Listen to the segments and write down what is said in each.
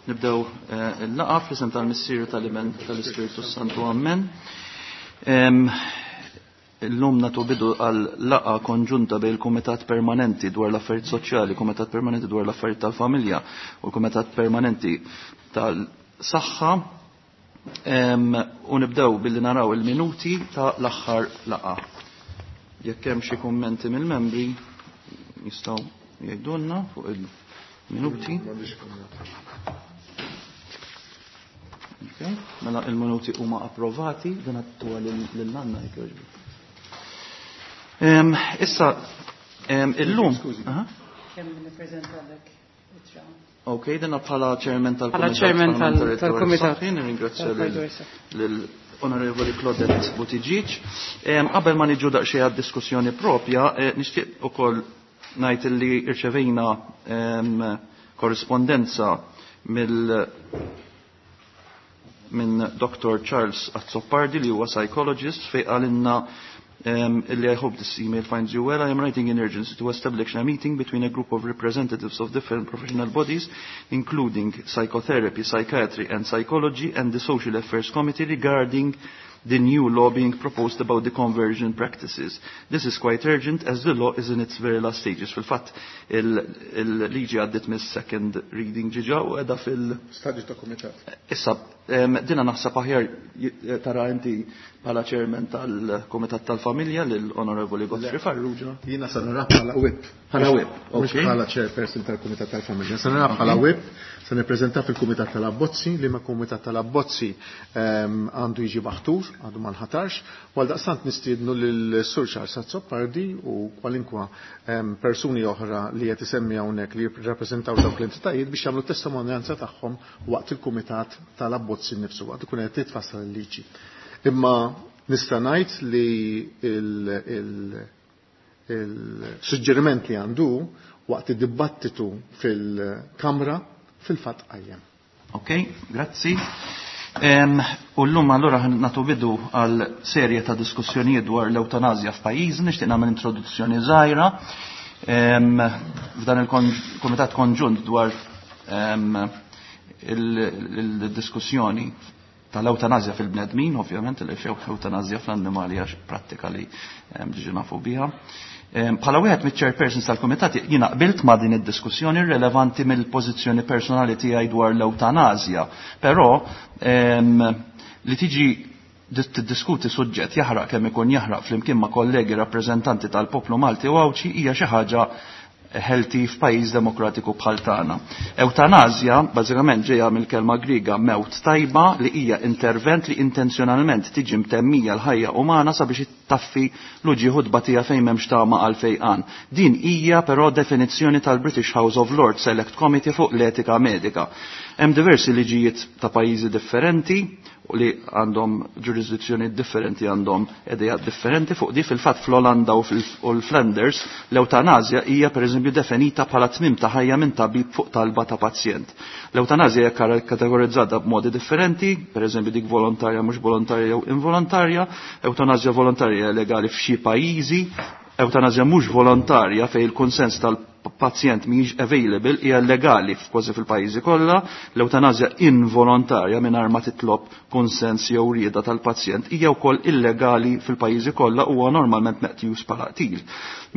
Nibdew il-laqgħa fl-isem tal-Missier, tal-Iben, tal-Ispirtu Santu. Ammen. Illum nagħtu bidu għal laqgħa konġunta bejn il-Kumitat Permanenti dwar l-Affarijiet Soċjali, Kumitat Permanenti dwar l-Affarijiet tal-Familja u l-Kumitat Permanenti tal-Saħħa. U nibdew billi naraw il-minuti ta' l-aħħar laqgħa. Jekk hemm xi kummenti mill-membri jistgħu jgħidulna fuq il-minuti. Okay. Mela il-minuti huma approvati, dan għattuha lil-Anna jekk jogħġbok. Issa illum. Kemm nippreżentalek ittra. Ok, dina bħala chairman Bħala chairman tal-Kumitat. Nirringrazzja lill-Onorevoli Claudette Buttigieg. Qabel ma niġu daqsxejn għad-diskussjoni propja, nixtieq ukoll ngħid li rċevejna korrispondenza minn Dr. Charles Azzopardi li huwa psychologist fejn qalilna illi I hope this email finds you well. I am writing in urgency to establish a meeting between a group of representatives of different professional bodies, including psychotherapy, psychiatry and psychology, and the Social Affairs Committee regarding the new law being proposed about the conversion practices. This is quite urgent as the law is in its very last stages. Fil-fatt, il-liġi għaddit mis second reading ġiġa u edha fil- Stadju ta' komitat. Issa, dina naħseb aħjar tara inti bħala chairman tal-Komitat tal-Familja lill-Onorevoli Godfrey Farrugia. Jiena sa nara bħala whip. Bħala whip, Mhux ok. bħala chairperson tal-Kumitat tal-Familja. Sa nara bħala whip, se nippreżenta fil-Kumitat tal-Abbozzi, li ma Kumitat tal-Abbozzi għandu jiġi maħtur, għadu ma nħatarx, u għaldaqstant nistiednu lil Sur Charles Azzopardi u kwalinkwa persuni oħra li qed isemmi hawnhekk li jirrappreżentaw dawk l-entitajiet biex jagħmlu testimonjanza tagħhom waqt il-Kumitat tal-Abbozzi nnifsu, waqt ikun qed titfassal il-liġi. Imma nista' ngħid li il-suġġeriment li għandu waqt id-dibattitu fil-Kamra fil-fatt qajjem. Ok, grazzi. U llum allura nagħtu bidu għal serje ta' diskussjonijiet dwar l-eutanazja f'pajjiżna, nixtieq nagħmel introduzzjoni żgħira. F'dan il-Kumitat Konġunt dwar il-diskussjoni tal-eutanazja fil-bnedmin, ovvjament, li xew eutanazja fl-annimali għax prattika li diġi nafu biha. Bħala wieħed miċ-chairpersons tal-Kumitat jiena qbilt ma' din id-diskussjoni rilevanti mill-pożizzjoni personali tiegħi dwar l-eutanazja, però li tiġi tiddiskuti suġġett jaħraq kemm ikun jaħraq flimkien ma' kollegi rappreżentanti tal-poplu Malti u Għawdxi hija xi ħaġa healthy f'pajjiż demokratiku bħal tagħna. Eutanazja bażikament ġejja mill-kelma Griega mewt tajba li hija intervent li intenzjonalment tiġi mtemmija l-ħajja umana sabiex ittaffi l-uġigħ u tbatija fejn m'hemmx tama għal fejqan. Din hija però definizzjoni tal-British House of Lords Select Committee fuq l-etika medika. Hemm diversi liġijiet ta' pajjiżi differenti u li għandhom ġurisdizzjoni differenti, għandhom idejat differenti fuq di. Fil-fatt fl-Olanda u l-Flanders l-eutanazja hija pereżempju definita bħala tmim ta' ħajja minn tabib fuq talba ta' pazjent. L-eutanazja hija kategorizzata b'modi differenti, pereżempju dik volontarja, mhux volontarja jew involontarja. Eutanazja volontarja legali f'xi pajjiżi, eutanazja mhux volontarja fejn il-konsens tal-pazjent mhijiex available hija legali f'kważi fil-pajjiżi kollha. L-eutanazja involontarja mingħajr ma titlob konsens jew rieda tal-pazjent hija wkoll illegali fil-pajjiżi kollha u huwa normalment meqjus bħala qtil.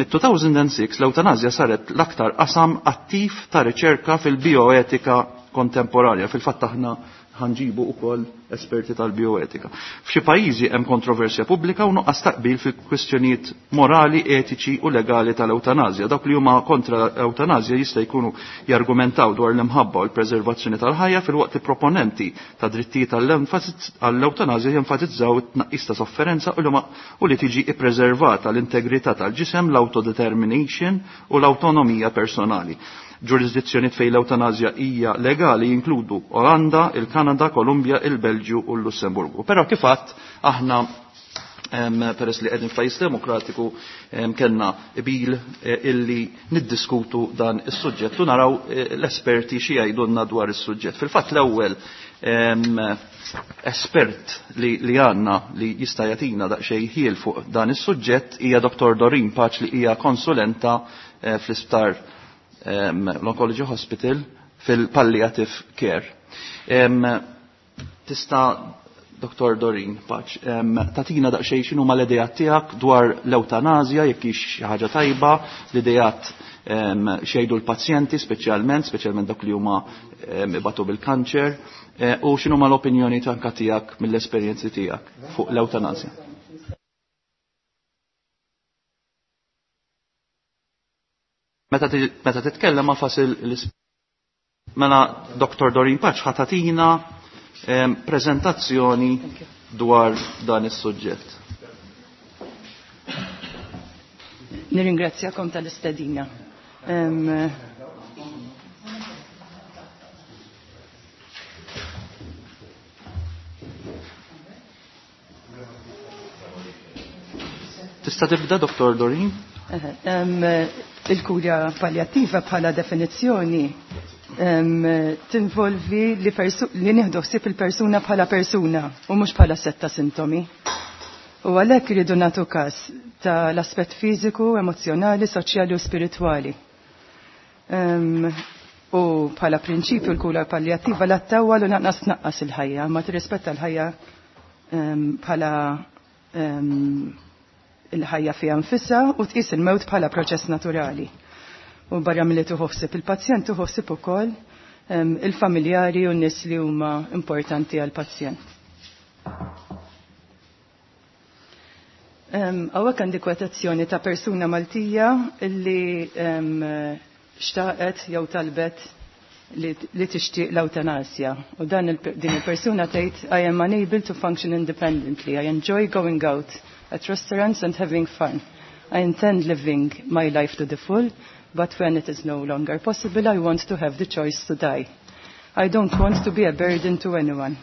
Mit-2006 l-eutanazja saret l-aktar qasam attiv ta' riċerka fil-bioetika kontemporanja. Fil-fatt aħna ħanġibu ukoll esperti tal-bioetika. F'xi pajjiżi hemm kontroversja pubblika u nuqqas taqbil fil-kwistjonijiet morali, etiċi u legali tal-eutanazja. Dawk li huma kontra l-eutanazja jista' jkunu jargumentaw dwar l-imħabba u l-preservazzjoni tal-ħajja, filwaqt li proponenti ta' drittijiet għall-eutanazja jenfasizzaw it-tnaqqis ta' sofferenza u li tiġi ippreservata l-integrità tal-ġisem, l-autodetermination u l-autonomija personali. Ġurisdizzjoni fejn l-eutanazja hija legali jinkludu Olanda, il-Kanada, Kolumbja, il-Belġju u l-Lussemburgu. Però kif għadt aħna peress li qegħdin f'pajjiż demokratiku kellna qbil illi niddiskutu dan is-suġġett u naraw l-esperti xi jgħidulna dwar is-suġġett. Fil-fatt l-ewwel espert li għandna li jista' jagħtina daqsxejn ħiel fuq dan is-suġġett hija Dr. Doreen Pace li hija konsulenta fl-isptar l-Oncology Hospital fil-Palliative Care. Tista' Dr. Doreen Paċ, tatina daqsxejn x'inhuma l-idejat tiegħek dwar l-ewtanazja jekk hix xi ħaġa tajba, l-idejat xejdu l-pazjenti speċjalment, speċjalment dawk li huma ibatu bil-kanċer, u x'inhuma l-opinjoni tanka tiegħek mill-esperjenzi tiegħek fuq l-ewtanazja. Meta titkellem ma fasil mela Dr. Doreen Paċ ħatatina prezentazzjoni dwar dan is-suġġett. Nirringrazzjakom tal-istedina. Tista' tibda, Dr. Doreen? Il-kura palliattiva bħala definizzjoni tinvolvi li, li nieħdu ħsieb il-persuna bħala persuna u mhux bħala setta sintomi. U għalhekk iridu nagħtu każ tal-aspett fiżiku, emozjonali, soċjali u spiritwali. U bħala prinċipju l-kura palliattiva la tawwal u naqnas tnaqqas il-ħajja, ma tirrispetta l-ħajja bħala il-ħajja fiha nfisha u tqis il-mewt bħala proċess naturali. U barra milli tuħossib il-pazjent tuħossib ukoll il-familjari u n-nies li huma importanti għall-pazjent. Hawnhekk għandi kwotazzjoni ta' persuna Maltija li xtaqet jew talbet li tixtieq l-ewtanasja. U dan din il-persuna tgħid I am unable to function independently. I enjoy going out at restaurants and having fun. I intend living my life to the full, but when it is no longer possible, I want to have the choice to die. I don't want to be a burden to anyone.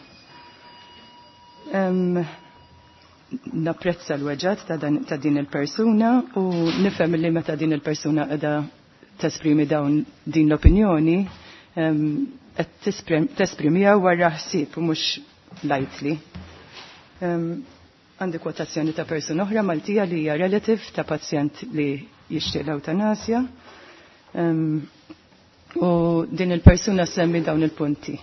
Napprezza l-weġat ta' din il-persuna u nifhem li meta din il-persuna qiegħda tesprimi dawn din l-opinjoni qed tesprimiha wara ħsieb u mhux lightly. Għandi kwotazzjoni ta' persuna oħra Maltija li hija relative ta' pazjent li jixtieq l-ewtanasja. U din il-persuna semmi dawn il-punti.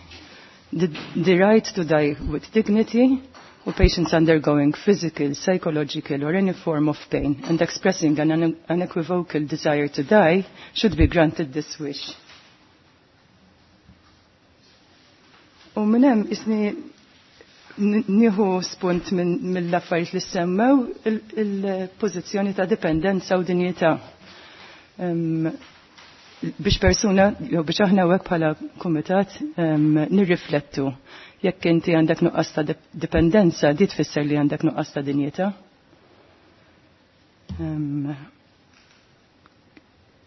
The right to die with dignity u patients undergoing physical, psychological or any form of pain and expressing an unequivocal desire to die should be granted this wish. U minn hemm isni nieħu spunt mill-affarijiet li semmew il-pożizzjoni ta' dipendenza u dinjità. Biex persuna, jew biex aħna hekk bħala kumitat nirriflettu. Jekk inti għandek nuqqas ta' dipendenza, di tfisser li għandek nuqqas ta' dinjità.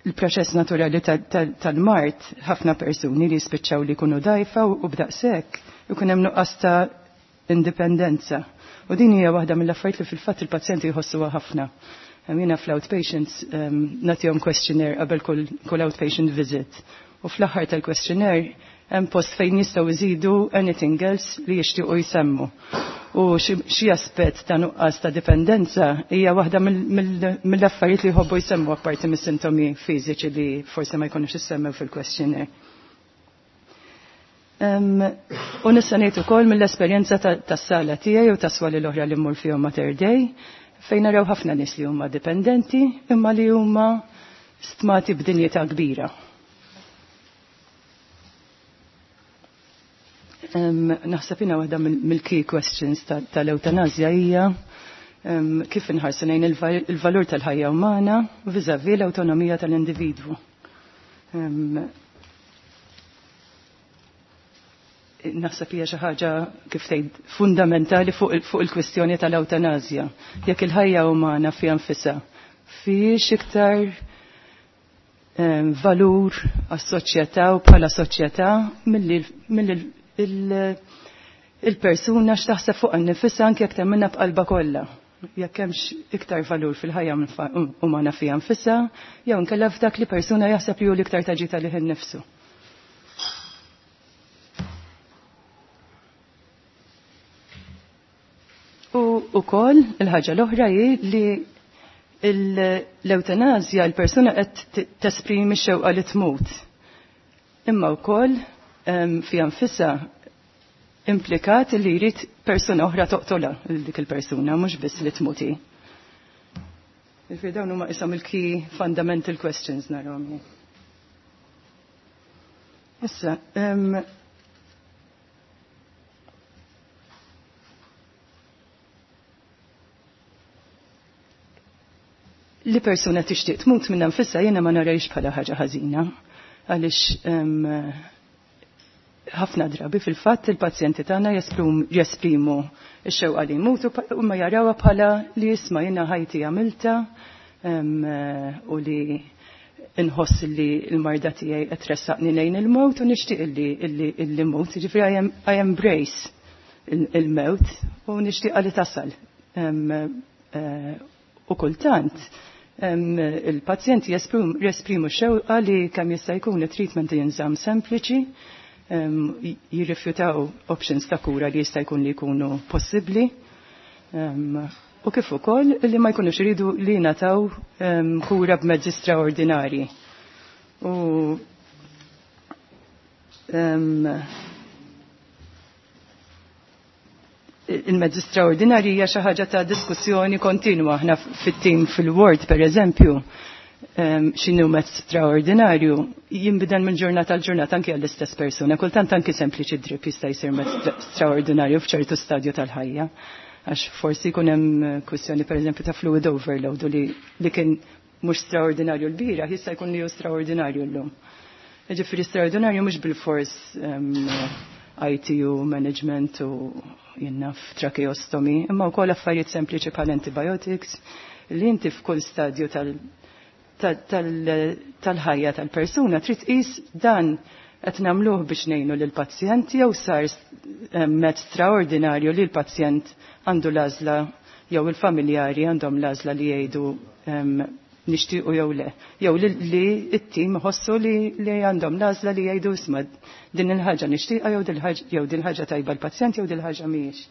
Il-proċess naturali tal-mart, ħafna persuni li jispiċċaw li jkunu dajfa u b'daqshekk ikun hemm nuqqas ta' indipendenza. U din hija waħda mill-affarijiet li fil-fatt il-pazjenti jħossuha ħafna. Jiena fl-outpatients nagħtihom questionnaire qabel kull outpatient visit. U fl-aħħar tal-questionnaire hemm post fejn jistgħu jżidu anything else li jixtiequ jsemmu. U xi aspett ta' nuqqas ta' dipendenza hija waħda mill-affarijiet li jħobbu jsemmu apparti mis-sintomi fiżiċi li forsi ma jkunux issemmew fil-questionnaire. U nista' ngħid ukoll mill-esperjenza tas-sala tiegħi u tas-swali l-oħra li mmur fihom Mater Dei, fejn naraw ħafna nies li huma dipendenti imma li huma stmati b'dinjità kbira. Naħseb jiena waħda mill-key questions tal-ewtanazja hija kif inħarsu lejn il-valur tal-ħajja umana vis-à-vis l-awtonomija tal-individwu. Naħseb hija xi ħaġa kif tgħid fundamentali fuq il-kwistjoni tal-ewtanazja. Jekk il-ħajja umana fiha nfisha fiex iktar valur għas-soċjetà u bħala soċjetà milli il-persuna x'taħseb fuq nifisha anke jekk temminha b'qalba kollha. Jekk hemmx iktar valur fil-ħajja umana fiha nfisha, jew inkella f'dak li persuna jaħseb li hu l-iktar taġita lih innifsu. U wkoll il-ħaġa l-oħra hi li l-ewtanazja l-persuna qed tesprimi x-xewqa li tmut. Imma wkoll fiha nfisha implikat li jrid persuna oħra toqtolha dik il-persuna, mhux biss li tmuti. Jiġifieri dawn huma ishom il-key fundamental questions narahom jien. Issa, li persuna tixtieq tmut minn nfisha jiena ma narajx bħala ħaġa ħażina għaliex ħafna drabi fil-fatt il-pazjenti tagħna jesprimu x-xewqa li jmutu u ma jarawha bħala li jisma' jiena ħajti għamilta u li inħoss li l-marda tiegħi qed tressaqni lejn il-mewt u nixtieq illi mut, jiġifieri I embrace il-mewt u nixtieqha li tasal. U kultant il-pazjenti jesprimu xewqa li kemm jista' jkun it-treatment jinżamm sempliċi, jirrifjutaw options ta' kura li jista' jkun li jkunu possibbli. U kif ukoll li ma jkunux iridu li jingħataw kura b'mezzi straordinarji. U il-mezzi straordinarji hija xi ħaġa ta' diskussjoni kontinwa. Aħna fit-tim fil-ward pereżempju, x'inhu mezz straordinarju jinbidel minn ġurnata għal ġurnata anke għall-istess persuna. Kultant anke sempliċi drip jista' jsir mezz straordinarju f'ċertu stadju tal-ħajja. Għax forsi jkun hemm kwistjoni pereżempju ta' fluid overload u li kien mhux straordinarju l-bieraħ jista' jkun li hu straordinarju llum. Jiġifieri straordinarju mhux bil-fors ITU management u jinnaf tracheostomy, imma wkoll affarijiet sempliċi bħal antibiotics li inti f'kull stadju tal-ħajja tal-persuna trid tqis dan qed nagħmluh biex ngħinu lill-pazjent jew sar mezz straordinarju li l-pazjent għandu l-għażla jew il-familjari għandhom l-għażla li jgħidu nixtiequ jew le. Jew li t-tim iħossu li għandhom l-għażla li jgħidu isma' din il-ħaġa nixtieqha jew din ħaġa tajba l-pazjent jew din ħaġa mhijiex.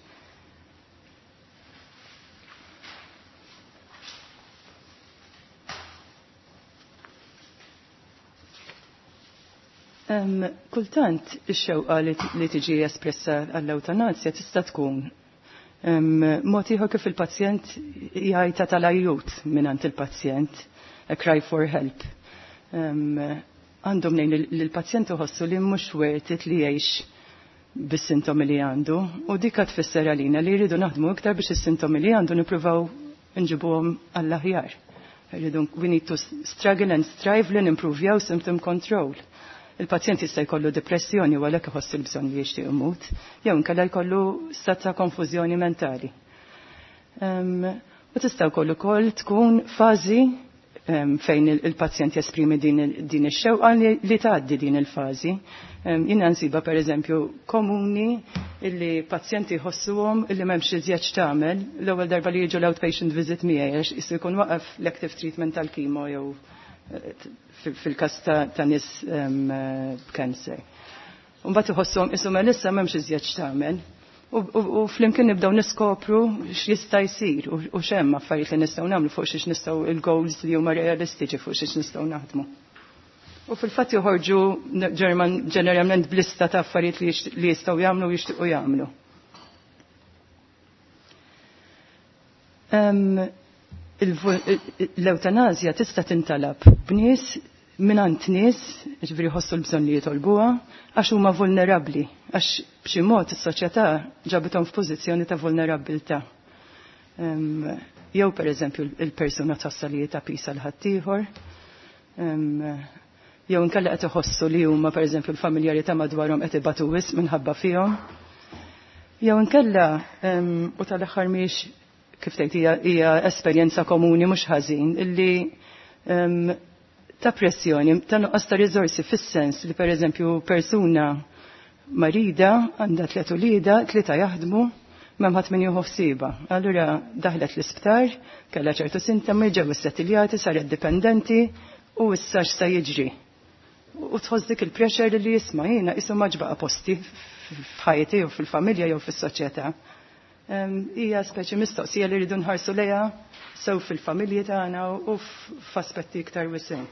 Kultant ix-xewqa li tiġi espressa għall-ewtanazja tista' tkun mod ieħor kif il-pazjent jgħajta tal-ajjut mingħand il-pazjent, a cry for help. Għandhom lejn li l-pazjent iħossu li mhux worth it li jgħix bis-sintomi li għandu u dik tfisser għalina li jridu naħdmu iktar biex is-sintomi li għandu nippruvaw nġibuhom għall-aħjar. We need to struggle and strive li nimprovjaw symptom control. Il-pazjent jista' jkollu depressjoni u għalhekk iħoss il-bżonn li jixtieq imut, jew inkella jkollu stat ta' konfużjoni mentali. U tista' wkoll ukoll tkun fażi fejn il-pazjent jesprimi din ix-xewqa li tgħaddi din il-fażi. Jiena nsiba pereżempju komuni illi pazjenti jħossuhom illi m'hemmx iżjed x'tagħmel l-ewwel darba li jiġu l-outpatient visit miegħi għax qisu jkun waqaf l-active treatment tal-kimo jew fil-kas ta' nies b'kanser. Mbagħad iħossuhom qisu mela issa m'hemmx iżjed x'tagħmel. U flimkien nibdew niskopru x'jista' jsir u x'hemm affarijiet li nistgħu nagħmlu fuq xiex nistgħu il-goals li huma realistiċi fuq xiex nistgħu naħdmu. U fil-fatt joħorġu ġeneralment b'lista ta' affarijiet li jistgħu jagħmlu u jixtiequ jagħmlu. L-eutanazja tista' tintalab b'nies mingħand nies, ġifieri jħossu l-bżonn li jitolbuha, għax huma vulnerabbli, għax b'xi mod is-soċjetà ġabithom f'pożizzjoni ta' vulnerabbiltà. Jew pereżempju il-persuna tħossha li ta' pisa l ħaddieħor, jew inkella qed iħossu li huma pereżempju l-familjari ta' madwarhom qed ibatu wisq minħabba fihom. Jew inkella u tal-aħħar mhix kif tgħid hija esperjenza komuni mhux ħażin illi ta' pressjoni, ta' nuqqas ta' riżorsi fis-sens li pereżempju persuna marida għandha tliet ulieda, tlieta jaħdmu, m'hemm ħadd min jieħu ħsiebha. Allura daħlet l-isptar, kellha ċertu sintomi, ġew issettiljati, saret dipendenti u issa x'sa jiġri. U tħoss dik il-pressure li jisma' jiena qisu ma ġbaqa' posti f'ħajti jew fil-familja jew fis-soċjetà. Hija speċi mistoqsija li rridu nħarsu lejha sew fil-familji tagħna u f'aspetti iktar wisgħin.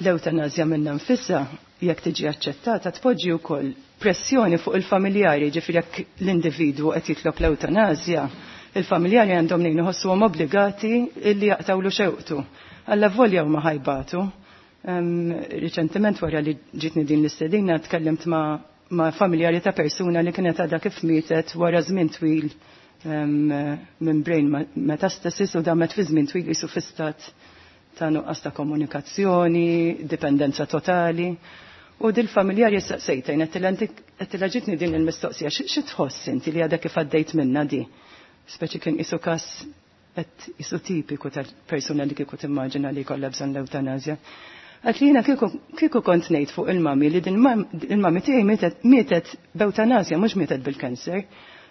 L-eutanazja minna nfissa jekk tiġi aċċettata tpoġġi wkoll pressjoni fuq il-familjari, ġifieri jekk l-individwu qed jitlob l-eutanazja, il-familjari għandhom nejn iħossuhom obbligati illi jaqtawlu xewqtu. Alla volja huma ħajbatu. Riċentement wara li ġitni din l-istedina tkellimt ma' familjari ta' persuna li kienet għadha kif mietet wara żmien twil minn brain metastasis u damet fi żmien twil qisu fi stat ta' nuqqas ta' komunikazzjoni, dipendenza totali. U dil-familjari saqsejtajn, għettila ġitni din il-mistoqsija, xi tħoss inti li għadha kif għaddejt minna di? Speċi kien isu kas qed isu tipiku tal-persuna li kieku timmaġina li jkollha bżonn l-eutanazja. Għat li jiena kieku kont ngħid fuq il-mami li din il-mami tiegħi mietet b'eutanazja mhux mietet bil-kanser.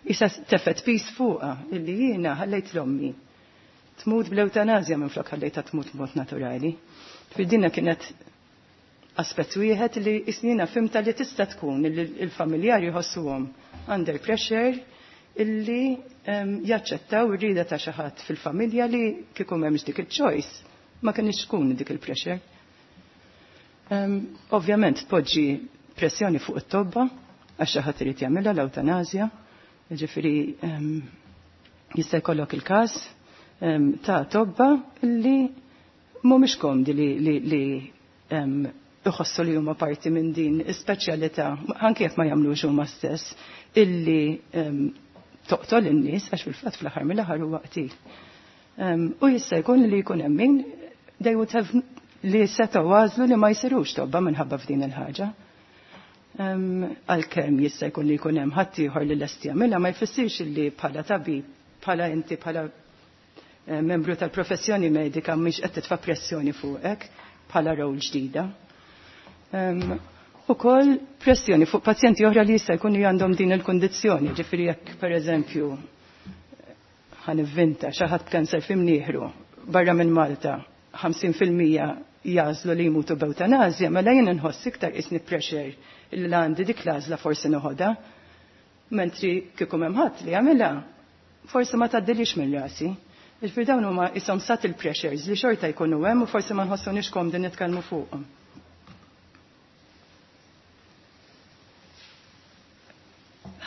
Issa tefet pis fuqha illi jiena ħallejt l-ommi tmut bl-eutanazja minn flok ħallejtha tmut b'mod naturali. Fid-dinna kienet aspett wieħed li isnina fimta li tista' tkun li l-familjari jħossuhom under pressure illi jaċċettaw ir-rieda ta' xi ħadd fil-familja li kieku m'hemmx dik il-choice ma kienx tkun dik il-pressure. Ovvjament tpoġġi pressjoni fuq it-tobba għax xi ħadd irid jagħmilha l-eutanazja, jiġifieri jista' jkollok il-każ ta' tobba li mhumiex komdi li iħossu li huma parti minn din is-speċjalità, anke jekk ma jagħmlux huma stess, illi toqtol in-nies għax fil-fatt fl-aħħar mill-aħħar huwa qtil. U jista' jkun li jkun hemm min they would have li setgħu għażlu li ma jsirux tobba minħabba f'din il-ħaġa. Għalkemm jista' jkun li jkun hemm ħadd ieħor li lest jagħmilha ma jfissirx li bħala tabib, bħala inti bħala membru tal-professjoni medika mhix qed titfa' pressjoni fuqek bħala rol ġdida. Ukoll pressjoni fuq pazjenti oħra li jista' jkunu għandhom din il-kundizzjoni, ġifieri jekk pereżempju ħanivvinta xi ħadd b'kanser f'imnieħru barra minn Malta 50% jażlu li jmutu b'eutanazja, mela jien inħoss iktar isni pressure li għandi dik l-għażla forsi noħodha, mentri kieku hemm ħadd li jagħmilha forsi ma tgħaddilix minn rasi. Ġifieri dawn huma ishom subtle pressures li xorta jkunu hemm u forsi ma nħossunix komdi nitkellmu fuqhom.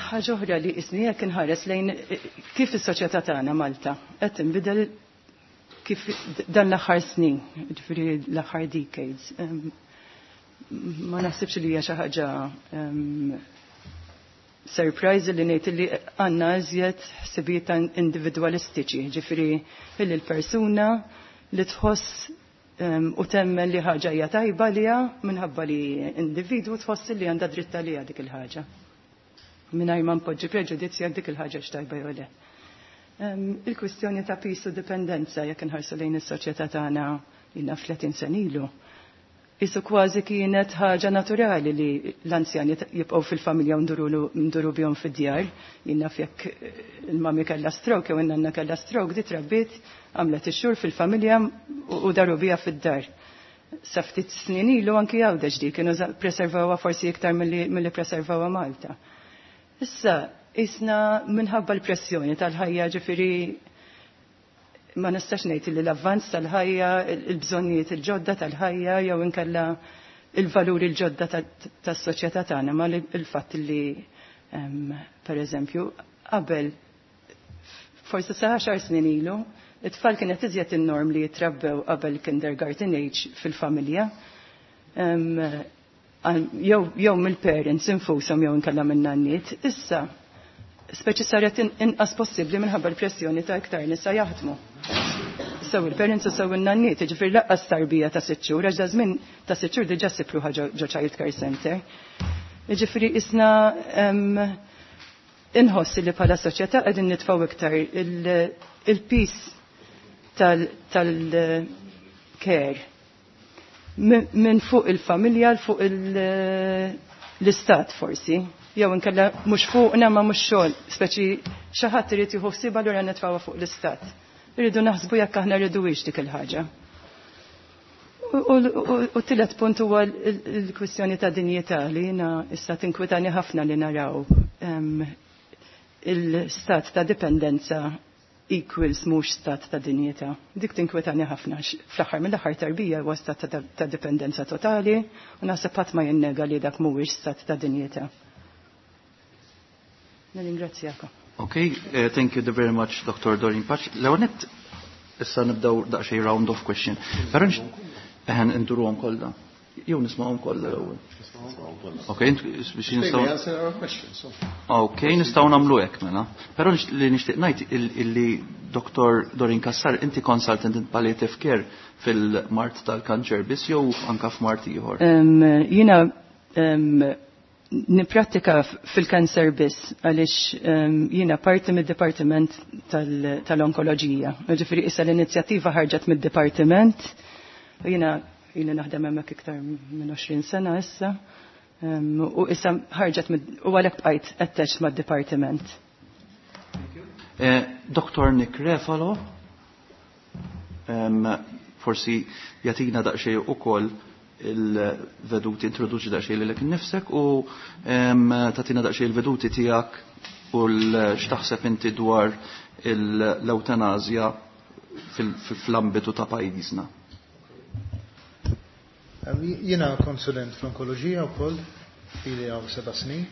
Ħaġa oħra li isni jekk inħares lejn kif is-soċjetà tagħna Malta qed tinbidel kif dan l-aħħar snin, ġifieri l-aħħar decades. Ma naħsibx li hija xi ħaġa surprise li ngħid li għandna iżjed ħsibijiet individwalistiċi, ġifieri illi l-persuna li tħoss u temmen li ħaġa hija tajba liha minħabba li individwu tħoss li għandha dritt għaliha dik il-ħaġa. Mingħajr ma npoġġi preġudizzja dik il-ħaġa x'tajba jew le. Il-kwistjoni ta' pisu dipendenza jekk inħarsu lejn is-soċjetà tagħna ilna 30 sena ilu. Isu kważi kienet ħaġa naturali li l-anzjani jibqgħu fil-familja u nduru bihom fid-djar. Jien naf jekk il-mami kellha stroke jew in-nanna kellha stroke, di trabbiet għamlet ix-xhur fil-familja u daru biha fid-dar. Sa ftit snin ilu anki Għawdex di kienu preservawha forsi iktar milli preservawha Malta. Issa isna minħabba l-pressjoni tal-ħajja, ġifieri ma nistax ngħid li l-avvanz tal-ħajja, il-bżonnijiet il-ġodda tal-ħajja jew inkella il-valuri l-ġodda tas-soċjetà tagħna, ma il-fatt li per eżempju qabel forsi sa 10 snin ilu, it-tfal kienet iżjed in-norm li jitrabbew qabel kindergarten age fil-familja. Jew mill-parents infushom jew inkella minn nanniet. Issa speċi saret inqas possibbli minħabba l-pressjoni ta' iktar nisa jaħdmu. Sew il-parents u sew in-nanniet, jiġifieri laqqas tarbija ta' 6 xhur, għax żmien ta' 6 xhur diġà sipruħa ġo child care center. Jiġifieri isna inħoss li bħala soċjetà qegħdin nitfgħu iktar il-pis tal-care minn fuq il-familja l fuq l-istat forsi. Jew inkella mhux fuqna ma mhux xogħol, speċi xi ħadd irid jieħu ħsieb allura nitfgħuha fuq l-istat. Irridu naħsbu jekk aħna rridux dik il-ħaġa. U tielet punt huwa l-kwistjoni ta' dinjità li jiena issa tinkwitani ħafna li naraw il-stat ta' dipendenza equals mhux stat ta' dinjità. Dik tinkwetani ħafna fl-aħħar mill-aħħar tarbija huwa stat ta' dipendenza totali u naħseb ħadd ma jinnega li dak mhuwiex stat ta' dinjità. Nirringrazzjakom. Okay, thank you very much, Dr. Doreen Pace. L-ewwel nett issa nibdew daqsxejn round of question. Però eħen induruhom kollha. Jew nisma'hom kollha l-ewwel. Ok, biex nistgħu. Ok, nistgħu nagħmlu hekk mela. Però li nixtieq ngħid illi Dr. Doreen Cassar, inti consultant in palliative care fil-mard tal-kanċer biss jew anka f'mard ieħor? Jiena niprattika fil-kanser biss għaliex jiena parti mid-dipartiment tal-onkoloġija. Ġifieri issa l-inizjattiva ħarġet mid-dipartiment u jiena ili naħdem hemmhekk iktar minn 20 sena issa. U issa ħarġet u għalhekk bqajt attached mad-dipartiment. Dr. Nick Refalo, forsi jagħtina daqsxejn ukoll il-veduti, introduċi daqsxejn lilek innifsek u tagħtina daqsxejn il-veduti tiegħek u x'taħseb inti dwar l-eutanazja fl-ambitu ta' pajjiżna. Jiena konsulent fl-onkoloġija wkoll ili għaw 7 snin.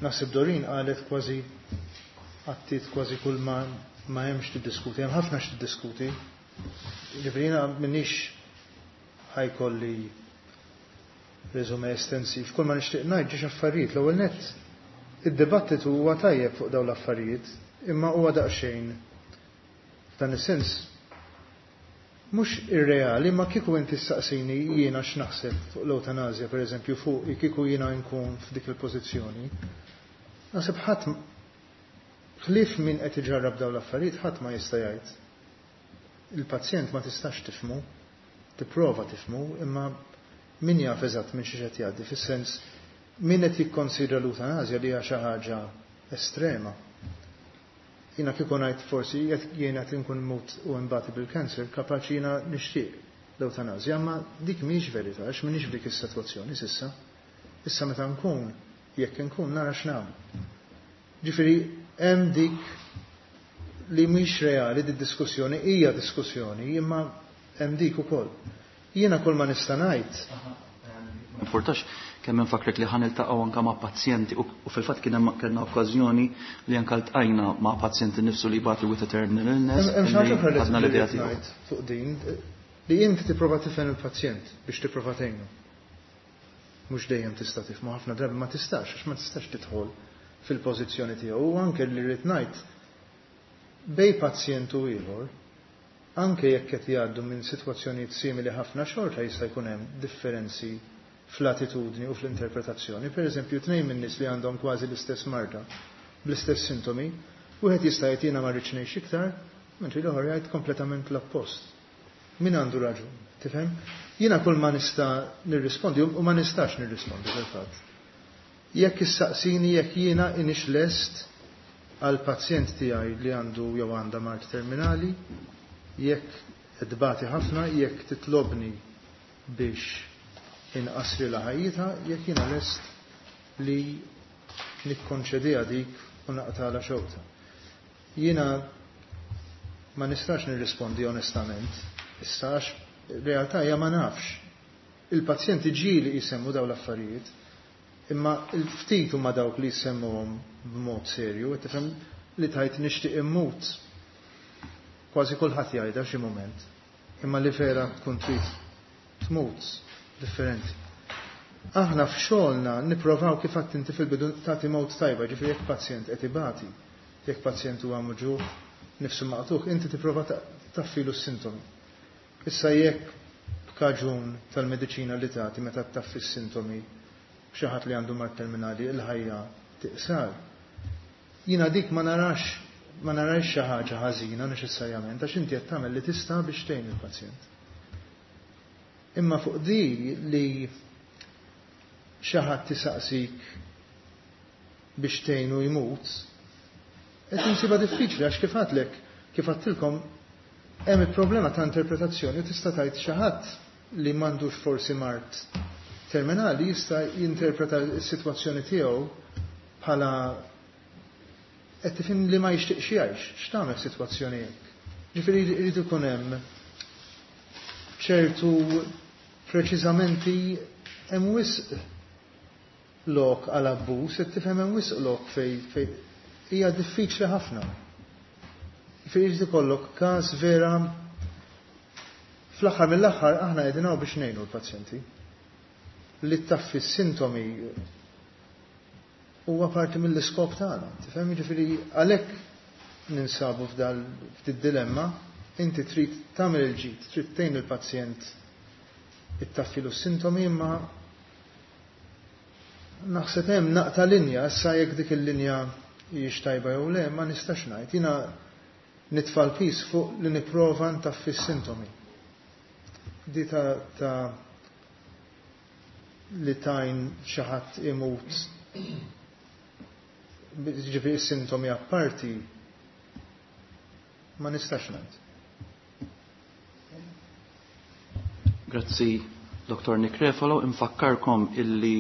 Naħseb Doreen qalet kważi għattit kważi kull ma hemmx tiddiskuti, hemm ħafna x'tiddiskuti. Ġifieri jiena m'iniex ħajkolli resume estensiv. Kull ma nixtieq ngħid ġiex affarijiet. L-ewwel nett id-dibattitu huwa tajjeb fuq dawn l-affarijiet, imma huwa daqsxejn f'dan is-sens mhux irreali, ma kieku inti ssaqsini jiena x'naħseb fuq l-eutanazja, pereżempju, fuq kieku jiena nkun f'dik il-pożizzjoni. Naħseb ħadd ħlief min qed iġarrab dawn l-affarijiet ħadd ma jista' jgħid. Il-pazjent ma tistax tifhmu, tipprova tifhmu, imma min jaf eżatt minn xi qed jgħaddi, fis-sens min qed jikkonsidra l-eutanazja li hija xi ħaġa estrema. Jiena kieku ngħid forsi jekk jiena qed inkun mut u nbati bil-kanser, kapaċi jiena nixtieq l-eutanazja, imma dik mhijiex verità, għax m'iniex f'dik is-sitwazzjoni s'issa. Issa meta nkun, jekk inkun nara x'nagħmel. Ġifieri hemm dik li mhix reali di diskussjoni, hija diskussjoni, imma hemm dik ukoll. Jiena kull ma nista' ngħid. Importax kemm infakrek li ħa niltaqgħu anke ma' pazjenti u fil-fatt kien hemm kellna okkażjoni li anke ltqajna ma' pazjenti nifsu li jbatu with a terminal illness. Hemm xi ħaġa oħra li ħadna l-idea trid tiegħu. ngħid fuq din, li inti tipprova tifhem il-pazjent biex tipprova tgħinu. Mhux dejjem tista' tifhmu, ħafna drabi ma tistax, għax ma tistax tidħol fil-pożizzjoni tiegħu. U anke li rrid ngħid bej pazjent u ieħor, anke jekk qed jgħaddu minn sitwazzjonijiet simili ħafna xorta jista' jkun hemm differenzi fl-attitudni u fl-interpretazzjoni. Per eżempju, 2 minn nies li għandhom kważi l-istess marda, bl-istess sintomi, wieħed jista' jgħid jiena ma rridx ngħix iktar, mentri l-ieħor jgħid kompletament l-oppost. Min għandu raġun, tifhem? Jiena kull ma nista' nirrispondi u ma nistax nirrispondi fil-fatt. Jekk issaqsini jekk jiena inix lest għal pazjent tiegħi li għandu jew għandha mard terminali, jekk tbati ħafna, jekk titlobni biex inqasri la ħajjitha, jekk jiena lest li nikkonċediha dik u naqtala xewqta. Jiena ma nistax nirrispondi onestament, issa għax realtà hija ma nafx. Il-pazjenti ġieli jsemmu dawn l-affarijiet, imma l-ftit huma dawk li jsemmuhom b'mod serju, qed tifhem li tajt nixtieq immut. Kważi kulħadd jgħidha xi mument, imma li vera tkun trid tmut differenti. Aħna f'xogħolna nipprovaw kif għedt inti fil-bidu tagħti mewt tajba, ġifieri jekk pazjent qed ibati, jekk pazjent huwa muġugħ, nifsu maqtugħ, inti tipprova taffilu s-sintomi. Issa jekk b'kaġun tal-mediċina li tagħti meta taffi s-sintomi xi ħadd li għandu mard terminali il-ħajja tiqsar. Jiena dik ma narax xi ħaġa ħażina neċessarjament għax inti qed tagħmel li tista' biex tgħin il-pazjent. Imma fuq di li xi ħadd tisaqsik biex tgħinu jmut, qed insibha diffiċli għax kif għadlek, kif għedtilkom, hemm il-problema ta' interpretazzjoni u tista' tgħid xi ħadd li m'għandux forsi mard terminali jista' jinterpreta s-sitwazzjoni tiegħu bħala Qed tifhem li ma jixtieqx jgħix, x'tagħmel f'sitwazzjoni hekk? Ġifieri jrid ikun hemm ċertu preċiżamenti hemm wisq lok għal abbuż, qed tifhem hemm wisq lok fej fej hija diffiċli ħafna. Ġifieri jrid ikollok każ vera fl-aħħar mill-aħħar aħna qegħdin hawn biex ngħinu l-pazjenti. Li taffi s-sintomi huwa parti mill-iskop tagħna. Tifhem jiġifieri għalhekk ninsabu f'dal f'did-dilemma, inti trid tagħmel il-ġid, trid tgħin il-pazjent ittaffilu s-sintomi imma naħseb hemm naqta' linja, issa jekk dik il-linja hijiex tajba jew le, ma nistax ngħid. Jiena nitfa' l-piż fuq li nipprova ntaffi s-sintomi. Di ta', ta li tajn xi ħadd imut ġifieri sintomi apparti ma nistax ngħid. Grazzi Dr. Nick Refalo, infakkarkom illi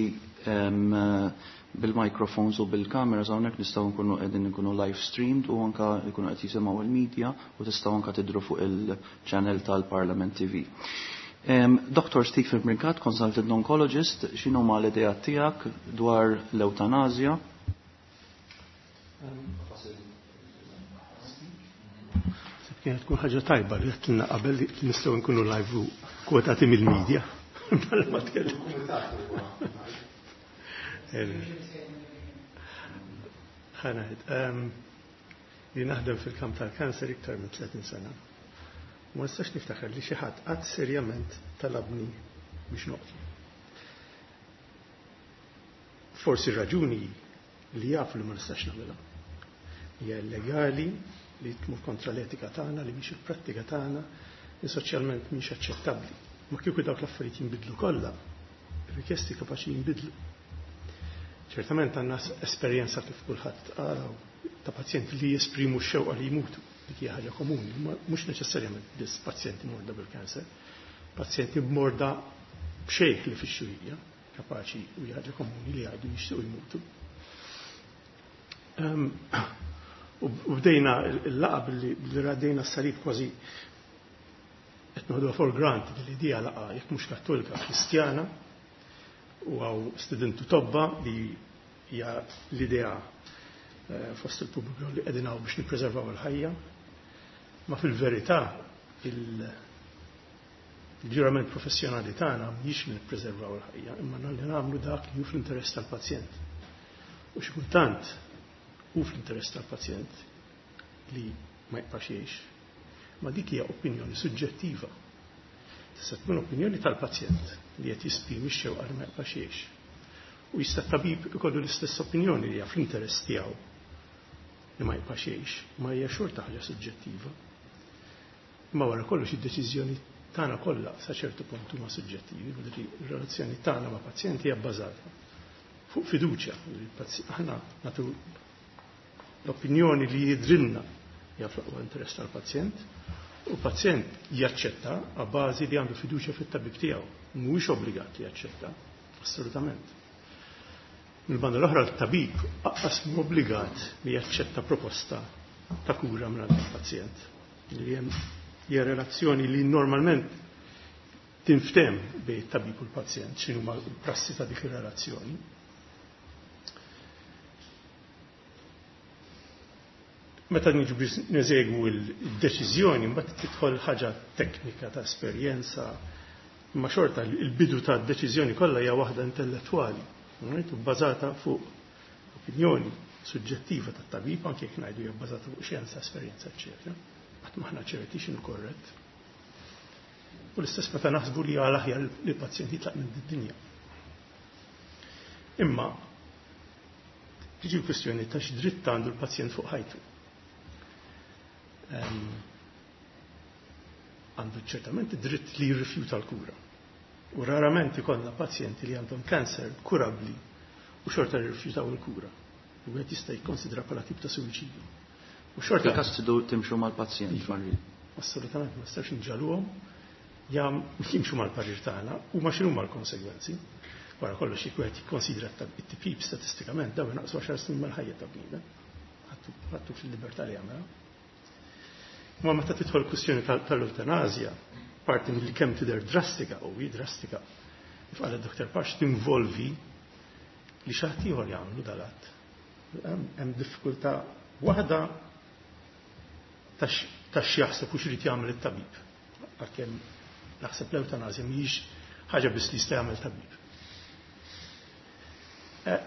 bil-microphones u bil-kameras hawnhekk nistgħu nkunu qegħdin nkunu live streamed u anka jkunu qed jisimgħu il-media u tistgħu anka tidru fuq il-channel tal-Parlament TV. Dr. Stephen Brincat, consultant oncologist, x'inhu ma l-idea tiegħek dwar l-eutanazja? Kienet tkun ħaġa tajba li għedtilna qabel li nistgħu nkunu live u kwotati mill-media. Bħala ma tkellem. Ħanaħed. Li naħdem fil-kamp tal-kanser iktar minn 30 sena. Ma nistax niftakar li xi ħadd qatt serjament talabni biex noqtlu. Forsi raġuni li jafu li ma nistax nagħmilha. Hija illegali li tmur kontra l-etika tagħna, li mhix il-prattika tagħna, li soċjalment mhix aċċettabbli. Ma kieku dawk l-affarijiet jinbidlu kollha, ir-rikjesti kapaċi jinbidlu. Ċertament għandna esperjenza kif kulħadd qaraw ta' pazjenti li jesprimu x-xewqa li jmutu. Dik hija ħaġa komuni, ma mhux neċessarjament biss pazjenti morda bil-kanser, pazjenti morda b'xejn li fix-xurija, kapaċi u hija ħaġa komuni li jgħidu jixtiequ jmutu. U bdejna l-laqa billi raddejna s-salib kważi qed noħduha for granted li dija laqa jekk mhux Kattolika Kristjana u għaw studentu tobba li hija l-idea fost il-pubbliku li qegħdin hawn biex nippreservaw il-ħajja. Ma fil-verità il-ġurament professjonali tagħna mhix li nippreservaw il-ħajja, imma li nagħmlu dak li hu fl-interess tal-pazjent. U xi kultant hu fl-interess tal-pazjent li ma jibqax jgħix. Ma dik hija opinjoni suġġettiva. Tista' tkun opinjoni tal-pazjent li qed jesprimi x-xewqa li ma jibqax jgħix. U jista' tabib ikollu l-istess opinjoni li hija fl-interess tiegħu li ma jibqax jgħix, ma hija xorta ħaġa suġġettiva. Imma wara kollox id-deċiżjoni tagħna kollha sa ċertu punt huma suġġettivi, vuol ir-relazzjoni tagħna ma' pazjenti hija bbażata fuq fiduċja. Aħna nagħtu l-opinjoni li jidrilna hija fl-aqwa interess tal-pazjent, u pazjent jaċċetta a bażi li għandu fiduċja fit-tabib tiegħu. Mhuwiex obbligat li jaċċetta, assolutament. Mill-banda l-oħra l-tabib aqas mhu obbligat li jaċċetta proposta ta' kura minn il-pazjent. Li hemm hija relazzjoni li normalment tinftem bejn it-tabib u l-pazjent, x'inhuma l-prassi ta' dik ir-relazzjoni. Meta niġu biex neżegwu l-deċiżjoni, mbagħad tidħol ħaġa teknika ta' esperjenza, imma xorta il-bidu ta' deċiżjoni kollha hija waħda intellettwali, right? U bbażata fuq opinjoni suġġettiva tat-tabib, anke jekk ngħidu hija bbażata fuq xjenza, esperjenza, eċċetera. Qatt m'aħna ċerti x'inhu korrett. U l-istess meta naħsbu li għal aħjar li l-pazjent jitlaq minn din-dinja. Imma tiġi l-kwistjoni ta' x'dritt għandu l-pazjent fuq ħajtu. Għandu ċertament id-dritt li jirrifjuta l-kura. U rarament ikollna pazjenti li għandhom kanser kurabbli u xorta jirrifjutaw il-kura. U għed jista' jikkonsidra bħala tip ta' suwiċidju. U xorta Fil-każ tridu timxu mal-pazjent, Iva. Marri. Assolutament, ma nistax nġaluhom, jam jimxu mal-parir tagħna u ma x'inhuma l-konsegwenzi. Wara kollox jekk wieħed jikkonsidra it-tipjib statistikament dawn naqsu 10 snin mal-ħajja ta' bniedem. Ħattu fil-libertà li jagħmel. Ma meta tidħol kwistjoni tal-eutanazja, parti mill kemm tidher drastika u hi drastika, kif qal id-Dr. Pax tinvolvi li xi ħadd ieħor jagħmlu dal-att. Hemm diffikultà waħda ta' x'jaħseb u x'irid jagħmel it-tabib. Għalkemm naħseb l-eutanazja mhijiex ħaġa biss li jista' jagħmel tabib.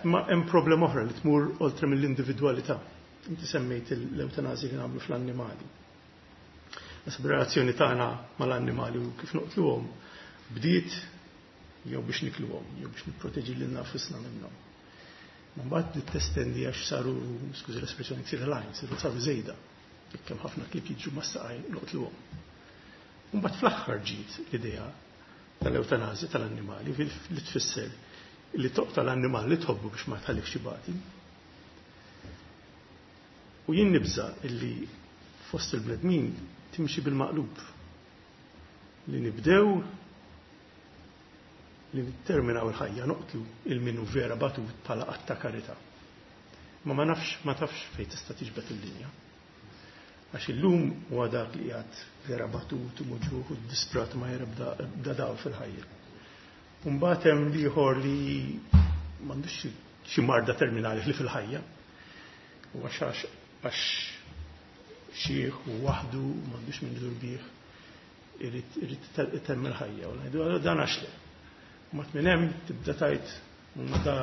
Ma hemm problema oħra li tmur oltre mill-individwalità. Inti semmejt l-eutanazja li nagħmlu fl-annimali. Nasib relazzjoni tagħna mal-annimali u kif noqtluhom bdiet jew biex nikluhom, jew biex nipproteġi lilna nfusna minnhom. Ma mbagħad bdiet testendi għax saru, skużi l-espressjoni, ksir lajn, saru żejda. Jekk hemm ħafna klieb jiġu mas-saqaj noqtluhom. U mbagħad fl-aħħar ġiet l-idea tal-eutanazja tal-annimali li tfisser li toqta l-annimal li tħobbu biex ma tħallikx ibati. U jien nibża illi fost il-bnedmin timxi bil-maqlub. Li nibdew li nitterminaw il-ħajja noqtlu il-minu vera batut bħala att ta' karità. Ma ma nafx, ma tafx fejn tista' tiġbed il-linja. Għax illum huwa dak li qiegħed vera batut u muġuħ u disprat ma jara bda dawl fil-ħajja. Mbagħad hemm ieħor li m'għandux xi marda terminali li fil-ħajja. U għax għax xieħ u waħdu m'għandux min idur bih irid itemm il-ħajja. U ngħidu dan għax le. Mat minn hemm tibda tajt da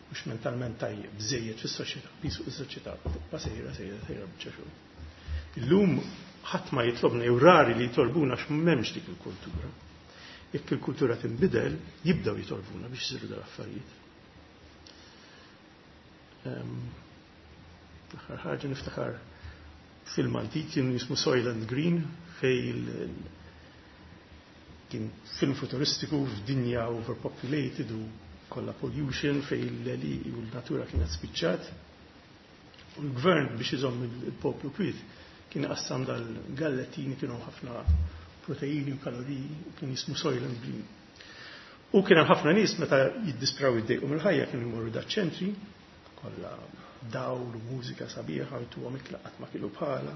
mhux mentalment tajjeb, bżejjed fis-soċjetà, pisu fis-soċjetà, tibqa' sejra sejra sejra biċċa xogħol. Illum ħadd ma jitlobna jew rari li jitolbuna għax m'hemmx dik il-kultura. Jekk il-kultura tinbidel, jibdew jitolbuna biex isiru dal-affarijiet. L-aħħar ħaġa niftakar film antik kien jismu Soylent Green fej kien film futuristiku f'dinja overpopulated u kollha pollution fej l-li u l-natura kienet spiċċat. U l-gvern biex iżomm il-poplu kwiet kien qassam dal-gallettini kienu ħafna proteini u kaloriji u kien jismu Soylent Green. U kien hemm ħafna nies meta jiddispraw iddejqu mill-ħajja kienu jmorru daċ-ċentri kollha dawl u mużika sabiħa u tuhom ikla qatt ma kielu bħala.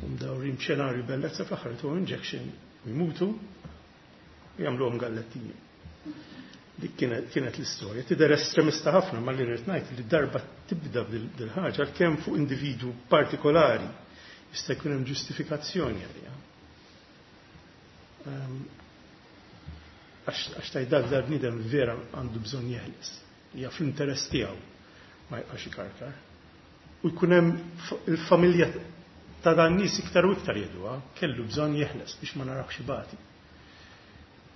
U mdawrin b'xenarju bellezza fl-aħħar tuhom injection u jmutu u jagħmluhom gallettini. Dik kienet l-istorja. Tidher estremista ħafna ma li rrid ngħid li darba tibda dil-ħaġa għalkemm fuq individwu partikolari jista' jkun hemm ġustifikazzjoni għaliha. Għax tajt dak dal-bniedem vera għandu bżonn jeħles. Hija fl-interess tiegħu ma jibqax ikarkar. U jkun hemm il-familja ta' dan nies iktar u iktar jgħiduha, kellu bżonn jeħles biex ma narawx ibati.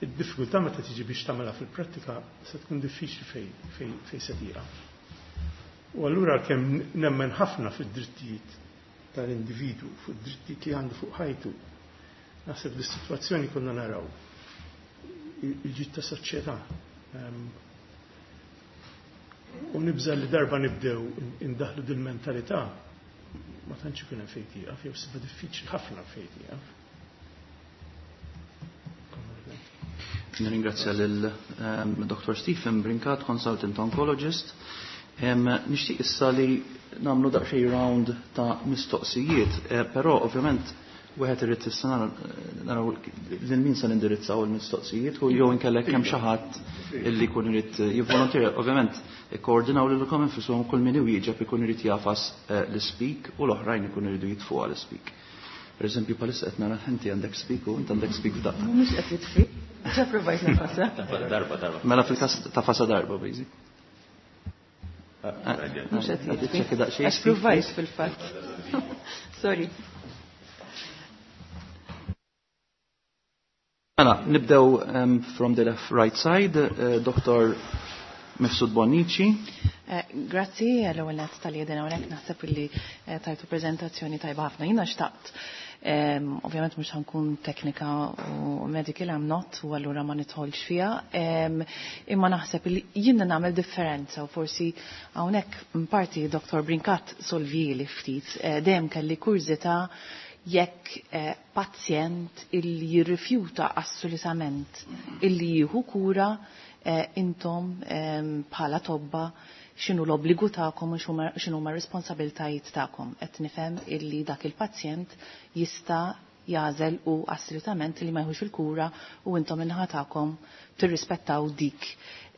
Id-diffikultà meta tiġi biex tagħmilha fil-prattika se tkun diffiċli fej se tieqaf. U allura kemm nemmen ħafna fid-drittijiet tal-individwu, fuq id-drittijiet li għandu fuq ħajtu, naħseb li s-sitwazzjoni konna naraw il-ġid ta' soċjetà. U nibża li darba nibdew indaħlu dil-mentalità ma tantx ikun hemm fejn tieqaf, jew siba diffiċli ħafna fejn tieqaf. Nirringrazzja lil Dr. Stephen Brincat, consultant oncologist. Nixtieq issa li nagħmlu daqsxejn round ta' mistoqsijiet, però ovvjament wieħed irid issa naraw lil min se nindirizzaw il-mistoqsijiet u jew inkellek hemm xi ħadd illi jkun irid jivvolontira. Ovvjament ikkoordinaw lilkom infushom kull min iwieġeb ikun irid jafas l-speak u l-oħrajn ikun iridu jitfu għal speak. Per eżempju, palissa qed nara inti għandek speak u inti għandek speak f'daqqa. Mhux qed jitfi. Ġa provajt nafasa. Darba, darba. Mela fil-każ ta' fasa darba, basic. Mhux qed jitfi. Għax provajt fil-fatt. Sorry. Mela, nibdew from the left right side, Dr. Mifsud Bonnici. Grazzi, l-ewwel nett tal-jedina hawnhekk naħseb illi tajtu preżentazzjoni tajba ħafna. Jiena xtaqt, ovvjament mhux ħankun teknika u medical I'm not, u allura ma nidħolx fiha, imma naħseb illi jiena nagħmel differenza u forsi hawnhekk parti Dr. Brincat solvili ftit, dejjem kelli kurżità jekk pazjent illi jirrifjuta assolutament illi jieħu kura, intom bħala tobba x'inhu l-obbligu tagħkom u x'inhuma r-responsabiltajiet tagħkom. Qed nifhem illi dak il-pazjent jista' jagħżel u assolutament li ma jħux il-kura u intom in-naħa tagħkom tirrispettaw dik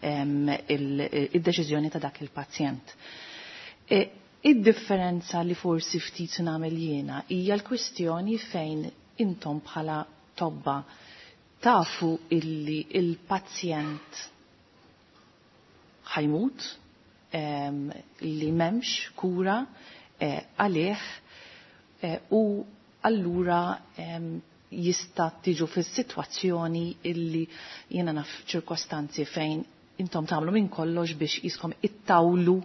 id-deċiżjoni ta' dak il-pazjent. Id-differenza li forsi ftit nagħmel jiena hija l-kwistjoni fejn intom bħala tobba tafu illi il-pazjent ħajmut, li m'hemmx kura għalih u allura jista' tiġu fis-sitwazzjoni illi jiena naf ċirkostanzi fejn intom tagħmlu minn kollox biex jiskom ittawlu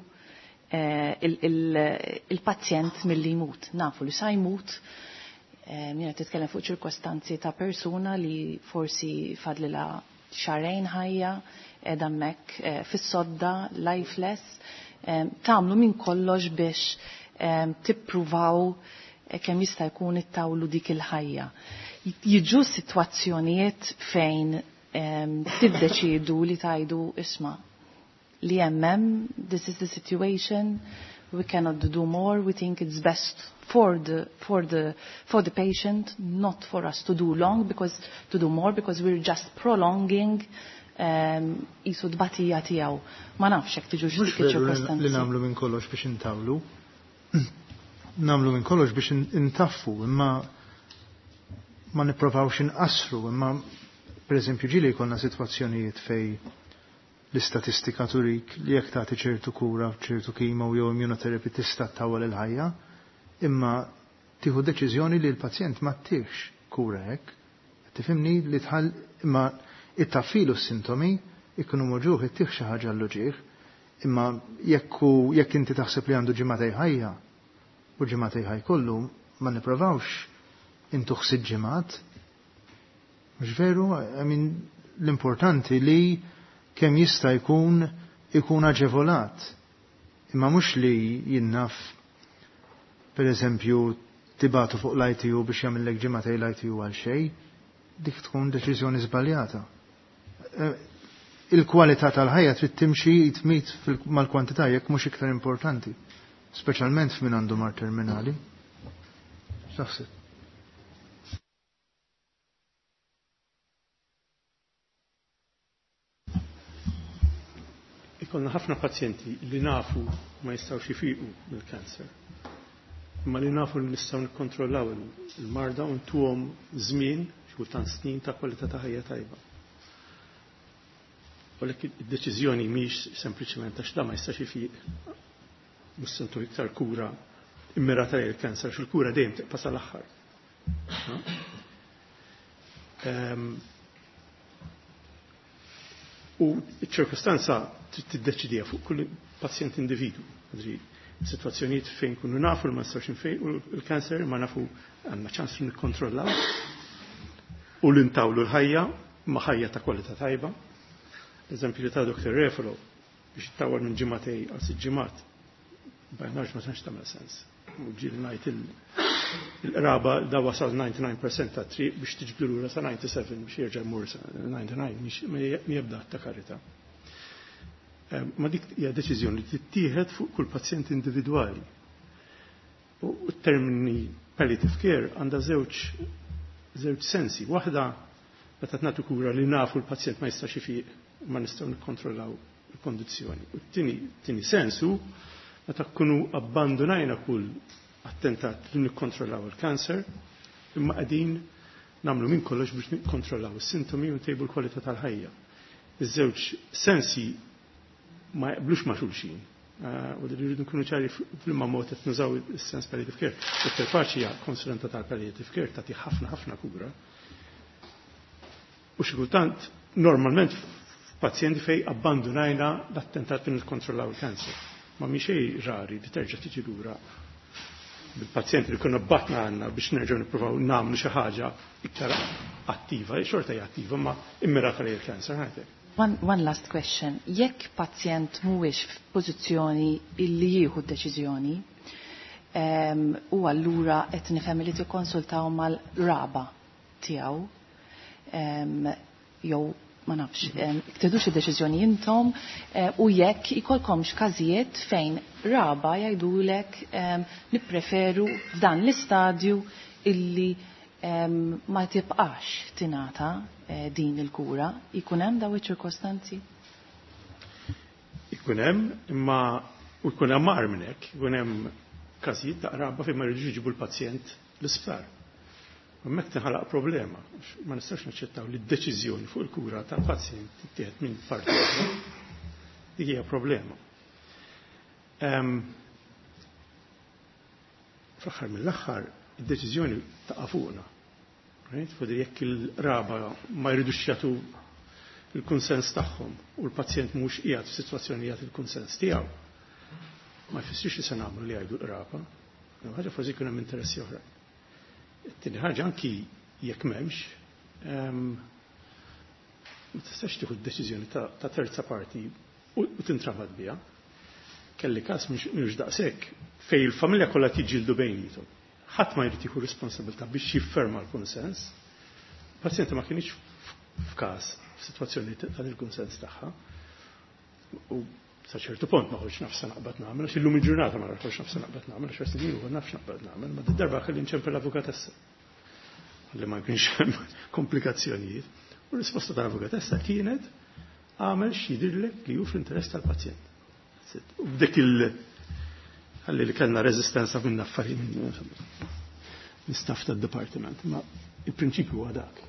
il-pazjent milli jmut. Nafu li sa jmut, jiena titkellem fuq ċirkostanzi ta' persuna li forsi fadlila xarejn ħajja, qiegħda hemmhekk fis-sodda, lifeless, tagħmlu minn kollox biex tippruvaw kemm jista' jkun ittawlu dik il-ħajja. Jiġu sitwazzjonijiet fejn tiddeċiedu li tajdu isma' li hemm, this is the situation, we cannot do more, we think it's best for the for the for the patient, not for us to do long because to do more because we're just prolonging jisu tbatija tiegħu. Ma nafx hekk tiġux Mhux dik veru li iċ-ċirkostanzi. nagħmlu minn kollox biex intawlu. Nagħmlu minn kollox biex intaffu, imma ma nipprovawx inqasru, imma pereżempju ġieli jkollna sitwazzjonijiet fej l-istatistika turik li jekk tagħti ċertu kura, ċertu kimo jew immunotherapy tista' ttawwal il-ħajja, imma tieħu deċiżjoni li l-pazjent ma ttieħx kura hekk. Tifhimni li tħall imma ittaffilu s-sintomi ikunu moġuħ ittieħ xi ħaġa l-uġieħ, imma jekk inti taħseb li għandu ġimgħatej ħajja u ġimgħatej ħaj kollu ma nipprovawx intuħ sitt ġimgħat. Mhux veru, I mean, l-importanti li kemm jista' jkun ikun aġevolat. Imma mhux li jinnaf per eżempju tibatu fuq l-ITU biex jagħmellek ġimgħatej l-ITU għal xejn, dik tkun deċiżjoni żbaljata. Il-kwalità tal-ħajja trid timxi jitmit mal-kwantità jekk mhux iktar importanti, speċjalment f'min għandu mar terminali. X'taħseb? Ikollna ħafna pazjenti li nafu ma jistgħux jifiqu mill-kanser. Imma li nafu li nistgħu nikkontrollaw il-marda u ntuhom żmien, xi kultant snin ta' kwalità ta' ħajja tajba. U lek id-deċiżjoni mhix sempliċement għax da ma jistax ifiq, mhux se ntuh iktar kura immirata lejn il-kanser, għax il-kura dejjem tibqa' sal-aħħar. No? U ċ-ċirkostanza trid tiddeċidija fuq kull pazjent individu. Ġifieri, situazzjonijiet fejn kunu nafu li ma nistgħux infejqu l-kanser, ma nafu għandna ċans li nikkontrollaw u li ntawlu l-ħajja ma' ħajja ta' kwalità tajba. Eżempju li ta' Dr. Refalo biex ittawal minn ġimgħatej għal sitt ġimgħat, bajnax ma tantx tagħmel sens. U ġieli ngħid il-qraba da wasal 99% ta' triq biex tiġbdu lura sa 97 biex jerġa' jmur sa 99 mhix jebda ta' karità. Ma dik hija deċiżjoni li tittieħed fuq kull pazjent individwali. U t-termini palliative care għandha żewġ sensi. Waħda meta nagħtu kura li nafu l-pazjent ma jistax ifiq ma nistgħu nikkontrollaw il-kondizzjoni. U t-tieni sensu meta nkunu abbandonajna kull attentat li nikkontrollaw il-kanser, imma qegħdin nagħmlu minn kollox biex nikkontrollaw is-sintomi u ntejbu l-kwalità tal-ħajja. Iż-żewġ sensi ma jaqblux ma' xulxin. U li rridu nkunu ċari fl-imma mod qed nużaw is-sens palliative care. Dr. Paci hija konsulenta tal-palliative care tagħti ħafna ħafna kura. U xi kultant normalment f'pazjenti fej abbandunajna l-attentat li nikkontrollaw il-kanser. Ma mhi xejn rari li terġa' tiġi lura bil-pazjenti li konna batna għandna biex nerġgħu nippruvaw nagħmlu xi ħaġa iktar attiva, xorta hija attiva, ma immirata lejn il-kanser ħajtek. One last question. Jekk pazjent mhuwiex f'pożizzjoni illi jieħu d-deċiżjoni, u allura qed nifhem li tikkonsultaw mal-raba tiegħu, jew Ma nafx, tiħdux id-deċiżjoni intom u jekk ikolkomx każijiet fejn raba jgħidulek nippreferu f'dan l-istadju illi ma tibqax tingħata din il-kura, ikun hemm daw iċ-ċirkostanzi? Ikun hemm, imma u jkun hemm agħar minn hekk, ikun hemm każijiet ta' qraba fejn ma jridux jġibu l-pazjent l-isptar. Hemmhekk tinħalaq problema. Ma nistax naċċettaw li d-deċiżjoni fuq il-kura tal-pazjent tittieħed minn parti oħra. Dik hija problema. Fl-aħħar mill-aħħar, id-deċiżjoni taqa' fuqna. Right? Fuq jekk il-qraba ma jridux jagħtu il-kunsens tagħhom u l-pazjent mhux qiegħed f'sitwazzjoni jagħti il-kunsens tiegħu. Ma jfissirx li se nagħmlu li jgħidu l-qraba. Ħaġa forsi jkun hemm interessi oħra. Tieni ħaġa anki jekk m'hemmx, ma tistax tieħu d-deċiżjoni ta' terza parti u tintrabat biha. Kelli każ mhux daqshekk fejn il-familja kollha tiġġieldu bejniethom. Ħadd ma jrid jieħu responsabilità biex jifferma l-kunsens. Il-pazjenti ma kienx f'każ f'sitwazzjoni ta' il-kunsens tagħha. U sa ċertu punt ma kontx naf se naqbad nagħmel, għax illum il-ġurnata ma kontx naf se naqbad nagħmel, għax snin ilu nafx naqbad nagħmel, ma d-darba kelli nċempel l-avukatessa. Li ma kienx hemm komplikazzjonijiet. U r-risposta tal-avukatessa kienet għamel x'jidhirlek li hu fl-interess tal-pazjent. U b'dik il- ħalli li kellna reżistenza minn affarijiet minn staff tad-dipartiment, ma il-prinċipju huwa dak.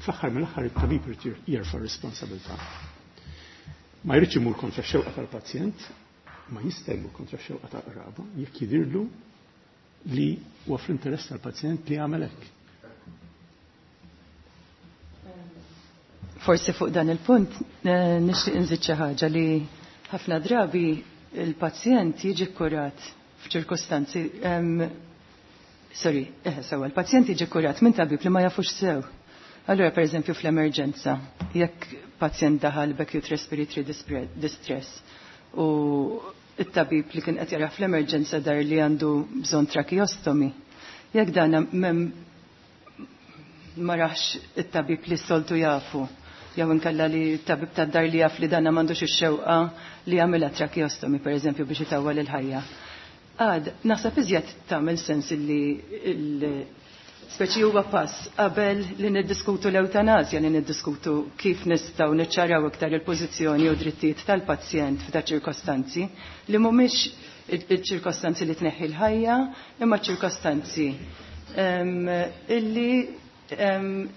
Fl-aħħar mill-aħħar it-tabib irid jerfa' responsabilità. Ma jridx imur kontra x-xewqa tal-pazjent, ma jista' jmur kontra x-xewqa tal-qraba, jekk jidhirlu li huwa fl-interess tal-pazjent li jagħmel hekk. Forsi fuq dan il-punt nixtieq inżid xi ħaġa li ħafna drabi il-pazjent jiġi kkurat f'ċirkostanzi, sorry, sewa, il-pazjent jiġi kkurat minn tabib li ma jafux sew. Allura, per eżempju, fl-emerġenza, jekk pazjent daħal b'acute respiratory distress u it-tabib li kien qed jara fl-emerġenza dar li għandu bżonn tracheostomy, jekk dan ma rax it-tabib li s-soltu jafu, jew inkella li t-tabib tad-dar li jaf li dana m'għandux ix-xewqa li jagħmilha tracheostomy, per eżempju, biex itawwal il-ħajja. Għad, naħseb iżjed tagħmel sens li speċi huwa pass qabel li niddiskutu l-eutanazja, li niddiskutu kif nistgħu niċċaraw iktar il-pożizzjoni u drittijiet tal-pazjent f'da ċirkostanzi li mhumiex il-ċirkostanzi li tneħħi l-ħajja, imma ċirkostanzi illi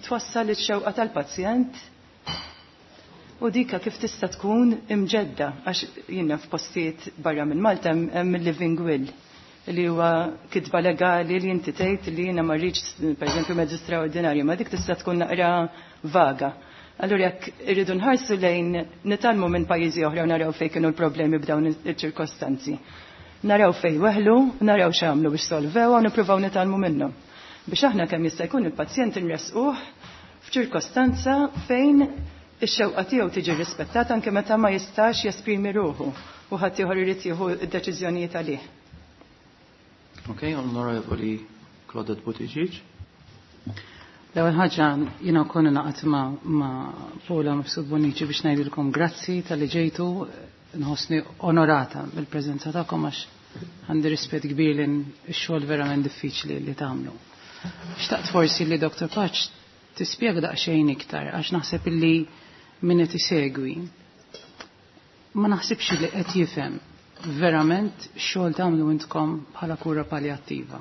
twassal ix-xewqa tal-pazjent u dika kif tista' tkun imġedda, għax jiena f'postijiet barra minn Malta hemm il-living will li huwa kitba legali li inti tgħid li jiena ma rridx pereżempju mezzi straordinarji, ma dik tista' tkun naqra vaga. Allura jekk irridu nħarsu lejn nitgħallmu minn pajjiżi oħra u naraw fejn kienu l-problemi b'dawn iċ-ċirkostanzi. Naraw fejn weħlu, naraw x'għamlu biex solvew u nippruvaw nitgħallmu minnhom. Biex aħna kemm jista' jkun il-pazjent inresquh f'ċirkostanza fejn ix-xewqa tiegħu tiġi rispettata anke meta ma jistax jesprimi ruħu u ħadd ieħor irid jieħu d-deċiżjonijiet għalih. Ok, Onorevoli Claudette Buttigieg. L-ewwel ħaġa jiena wkoll naqgħod ma' Paula Mifsud Bonnici biex ngħidilkom grazzi talli ġejtu, nħossni onorata bil-preżenza tagħkom għax għandi rispett kbir lejn ix-xogħol verament diffiċli li tagħmlu. Xtaqt forsi li Dr. Pace tispjega daqsxejn iktar għax naħseb illi min qed isegwi ma naħsibx li qed jifhem verament xogħol tagħmlu intkom bħala kura palliattiva.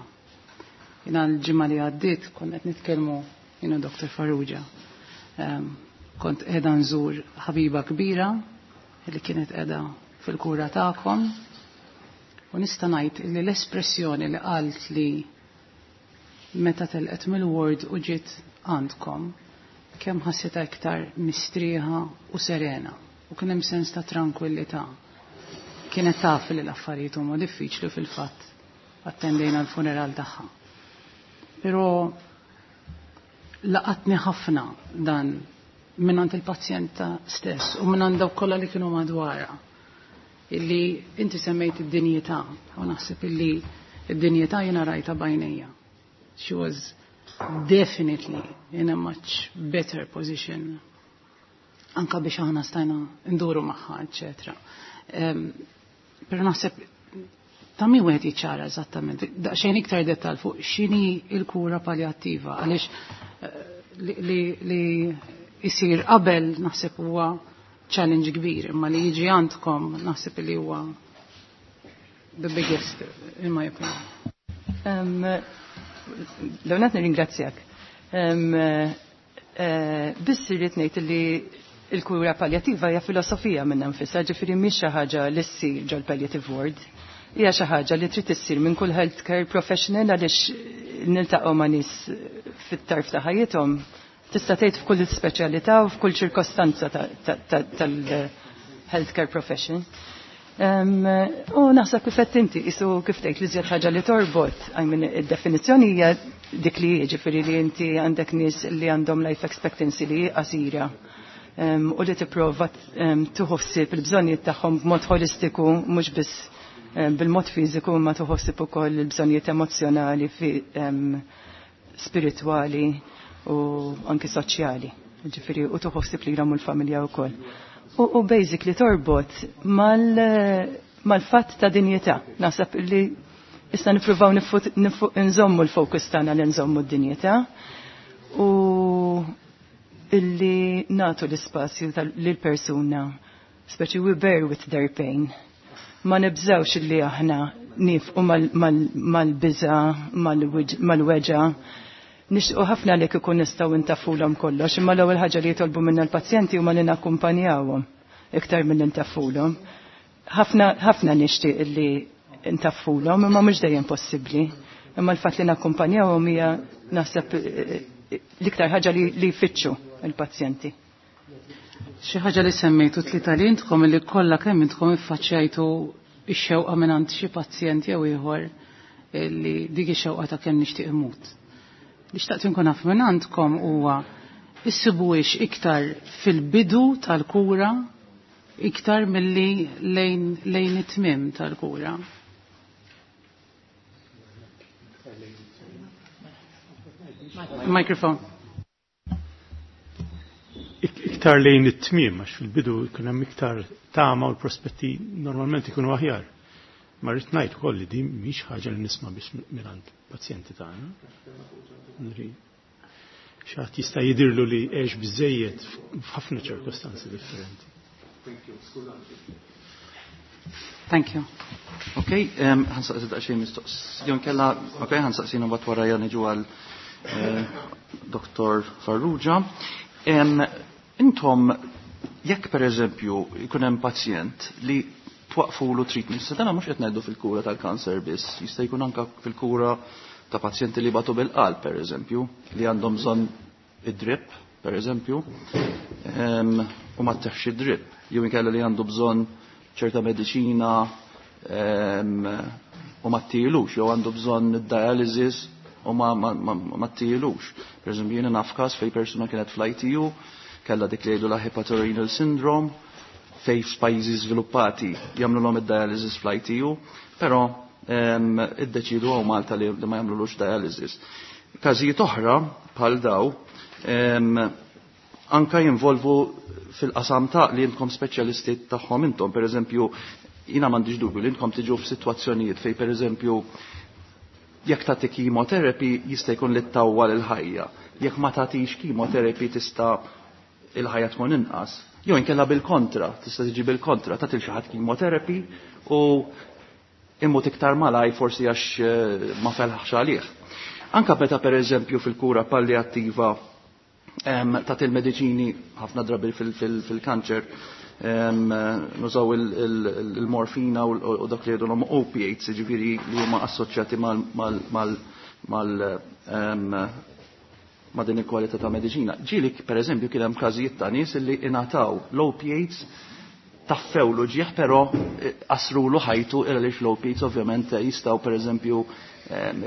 Jiena l-ġimgħa li għaddiet kont qed nitkellmu jiena Dr. Farrugia. Kont qiegħda nżur ħabiba kbira li kienet qiegħda fil-kura tagħkom u nista' ngħid li l-espressjoni li qalt li meta telqet mill-ward u ġiet għandkom kemm ħassitha iktar mistrieħa u serena u kien hemm sens ta' tranquillità. Kienet taf li l-affarijiet huma diffiċli fil-fatt attendejna l-funeral tagħha. Però laqatni ħafna dan minn il-pazjenta stess u minn dawk kollha li kienu madwarha. Illi inti semmejt id-dinjità u naħseb illi id-dinjità jiena rajta b'għajnejja. She was definitely in a much better position. Anka biex aħna stajna nduru magħha, eċetera. Però naħseb ta' min wieħed jiċċara eżattament, daqsxejn iktar dettal fuq x'inhi l-kura palliattiva, għaliex li jsir qabel naħseb huwa challenge kbir, imma li jiġi għandkom naħseb li huwa the biggest in my opinion. L-għonat nirringrazzjak. Biss irrid ngħid li l-kura palliattiva hija filosofija minn nfisha, ġifieri mhix xi ħaġa li ssir ġol-palliative ward. Hija xi ħaġa li trid issir minn kull healthcare professional, għaliex niltaqgħu ma' nies fit-tarf ta' ħajjithom, tista' tgħid f'kull speċjalità u f'kull ċirkostanza tal-healthcare profession. U naħseb kif qed inti isu kif tgħid li żjed ħaġa li torbot, I mean, id-definizzjoni hija dik li jiġifieri li inti għandek nies li għandhom life expectancy li qasira u li tipprova tieħu ħsieb il-bżonnijiet tagħhom b'mod holistiku, mhux biss bil-mod fiżiku, ma tieħu ħsieb ukoll il-bżonnijiet emozzjonali, spiritwali u anki soċjali. Ġifieri u tieħu ħsieb lilhom u l-familja wkoll. U basically torbot mal-fatt ta' dinjità. Naħseb li issa nippruvaw nżommu l-fokus tagħna li nżommu d-dinjità u illi natu l-ispazju lill-persuna, speċi we bear with their pain. Ma nibżawx illi aħna nifqu mal-biża, mal-weġa. Nixtiequ ħafna li kieku nistgħu ntaffulhom kollox, imma l-ewwel ħaġa li jitolbu minna l-pazjenti huma li nakkumpanjawhom iktar milli ntaffulhom. Ħafna ħafna nixtieq illi ntaffulhom, imma mhux dejjem possibbli. Imma l-fatt li nakkumpanjawhom hija naħseb l-iktar ħaġa li jfittxu il-pazjenti. Xi ħaġa li semmejtu tlieta li intkom li kollha kemm intkom iffaċċjajtu ix-xewqa minn xi pazjent jew ieħor li dik ix-xewqa ta' kemm nixtieq imut. Li xtaqt inkun naf minn għandkom huwa issibuhiex iktar fil-bidu tal-kura iktar milli lejn it-tmiem tal-kura. Microphone. Iktar lejn it-tmiem, għax fil-bidu jkun hemm iktar tama u l-prospetti normalment ikunu aħjar. Ma rrid ngħid ukoll li din mhix ħaġa li nisma' biss mingħand pazjenti tagħna. Xi ħadd jista' jidirlu li għex biżejjed f'ħafna ċirkostanzi differenti. Thank you. Ok, ħa nsaqsi daqsxejn mistoqsija. Kella, ok, ħa nsaqsina mbagħad wara niġu għal Dr. Farrugia. Intom, jekk per eżempju jkun hemm pazjent li twaqfulu treatment, se dana mhux qed ngħidu fil-kura tal-kanser biss, jista' jkun anka fil-kura ta' pazjenti li batu bil-qalb per eżempju, li għandhom bżonn id-drip per eżempju, u ma tteħx id-drip, jew inkella li għandu bżonn ċerta mediċina u ma ttilux, jew għandu bżonn id-dialysis u ma ttilux. Per eżempju, jiena naf każ fej persuna kienet fl-ITU, kellha dik li jgħidu la hepatorenal syndrome, fej f'pajjiżi żviluppati jagħmlu id-dialysis fl-ITU, però iddeċidu hawn Malta li ma jagħmlulux dialysis. Każijiet oħra bħal daw anka jinvolvu fil-qasam ta' li intkom speċjalisti tagħhom intom, per eżempju, jiena m'għandix dubju li intkom tiġu f'sitwazzjonijiet fej per eżempju jekk tagħti chemotherapy jista' jkun li ttawwal il-ħajja. Jekk ma tagħtix chemotherapy tista' il-ħajja tkun inqas. Jew inkella bil-kontra, tista' tiġi bil-kontra, tagħti xi ħadd chemotherapy u immut iktar malaj forsi għax ma felħax għalih. Anka meta per eżempju fil-kura palliattiva tagħti il-mediċini ħafna drabi fil-kanċer nużaw il-morfina u dak li jgħidulhom opiates, jiġifieri li huma assoċjati ma' din il-kwalità ta' mediċina. Ġieli per eżempju kien hemm każijiet ta' nies li ingħataw l-opiates, taffew l-uġieħ, però qasrulu ħajtu, għaliex l-opiates ovvjament jistgħu per eżempju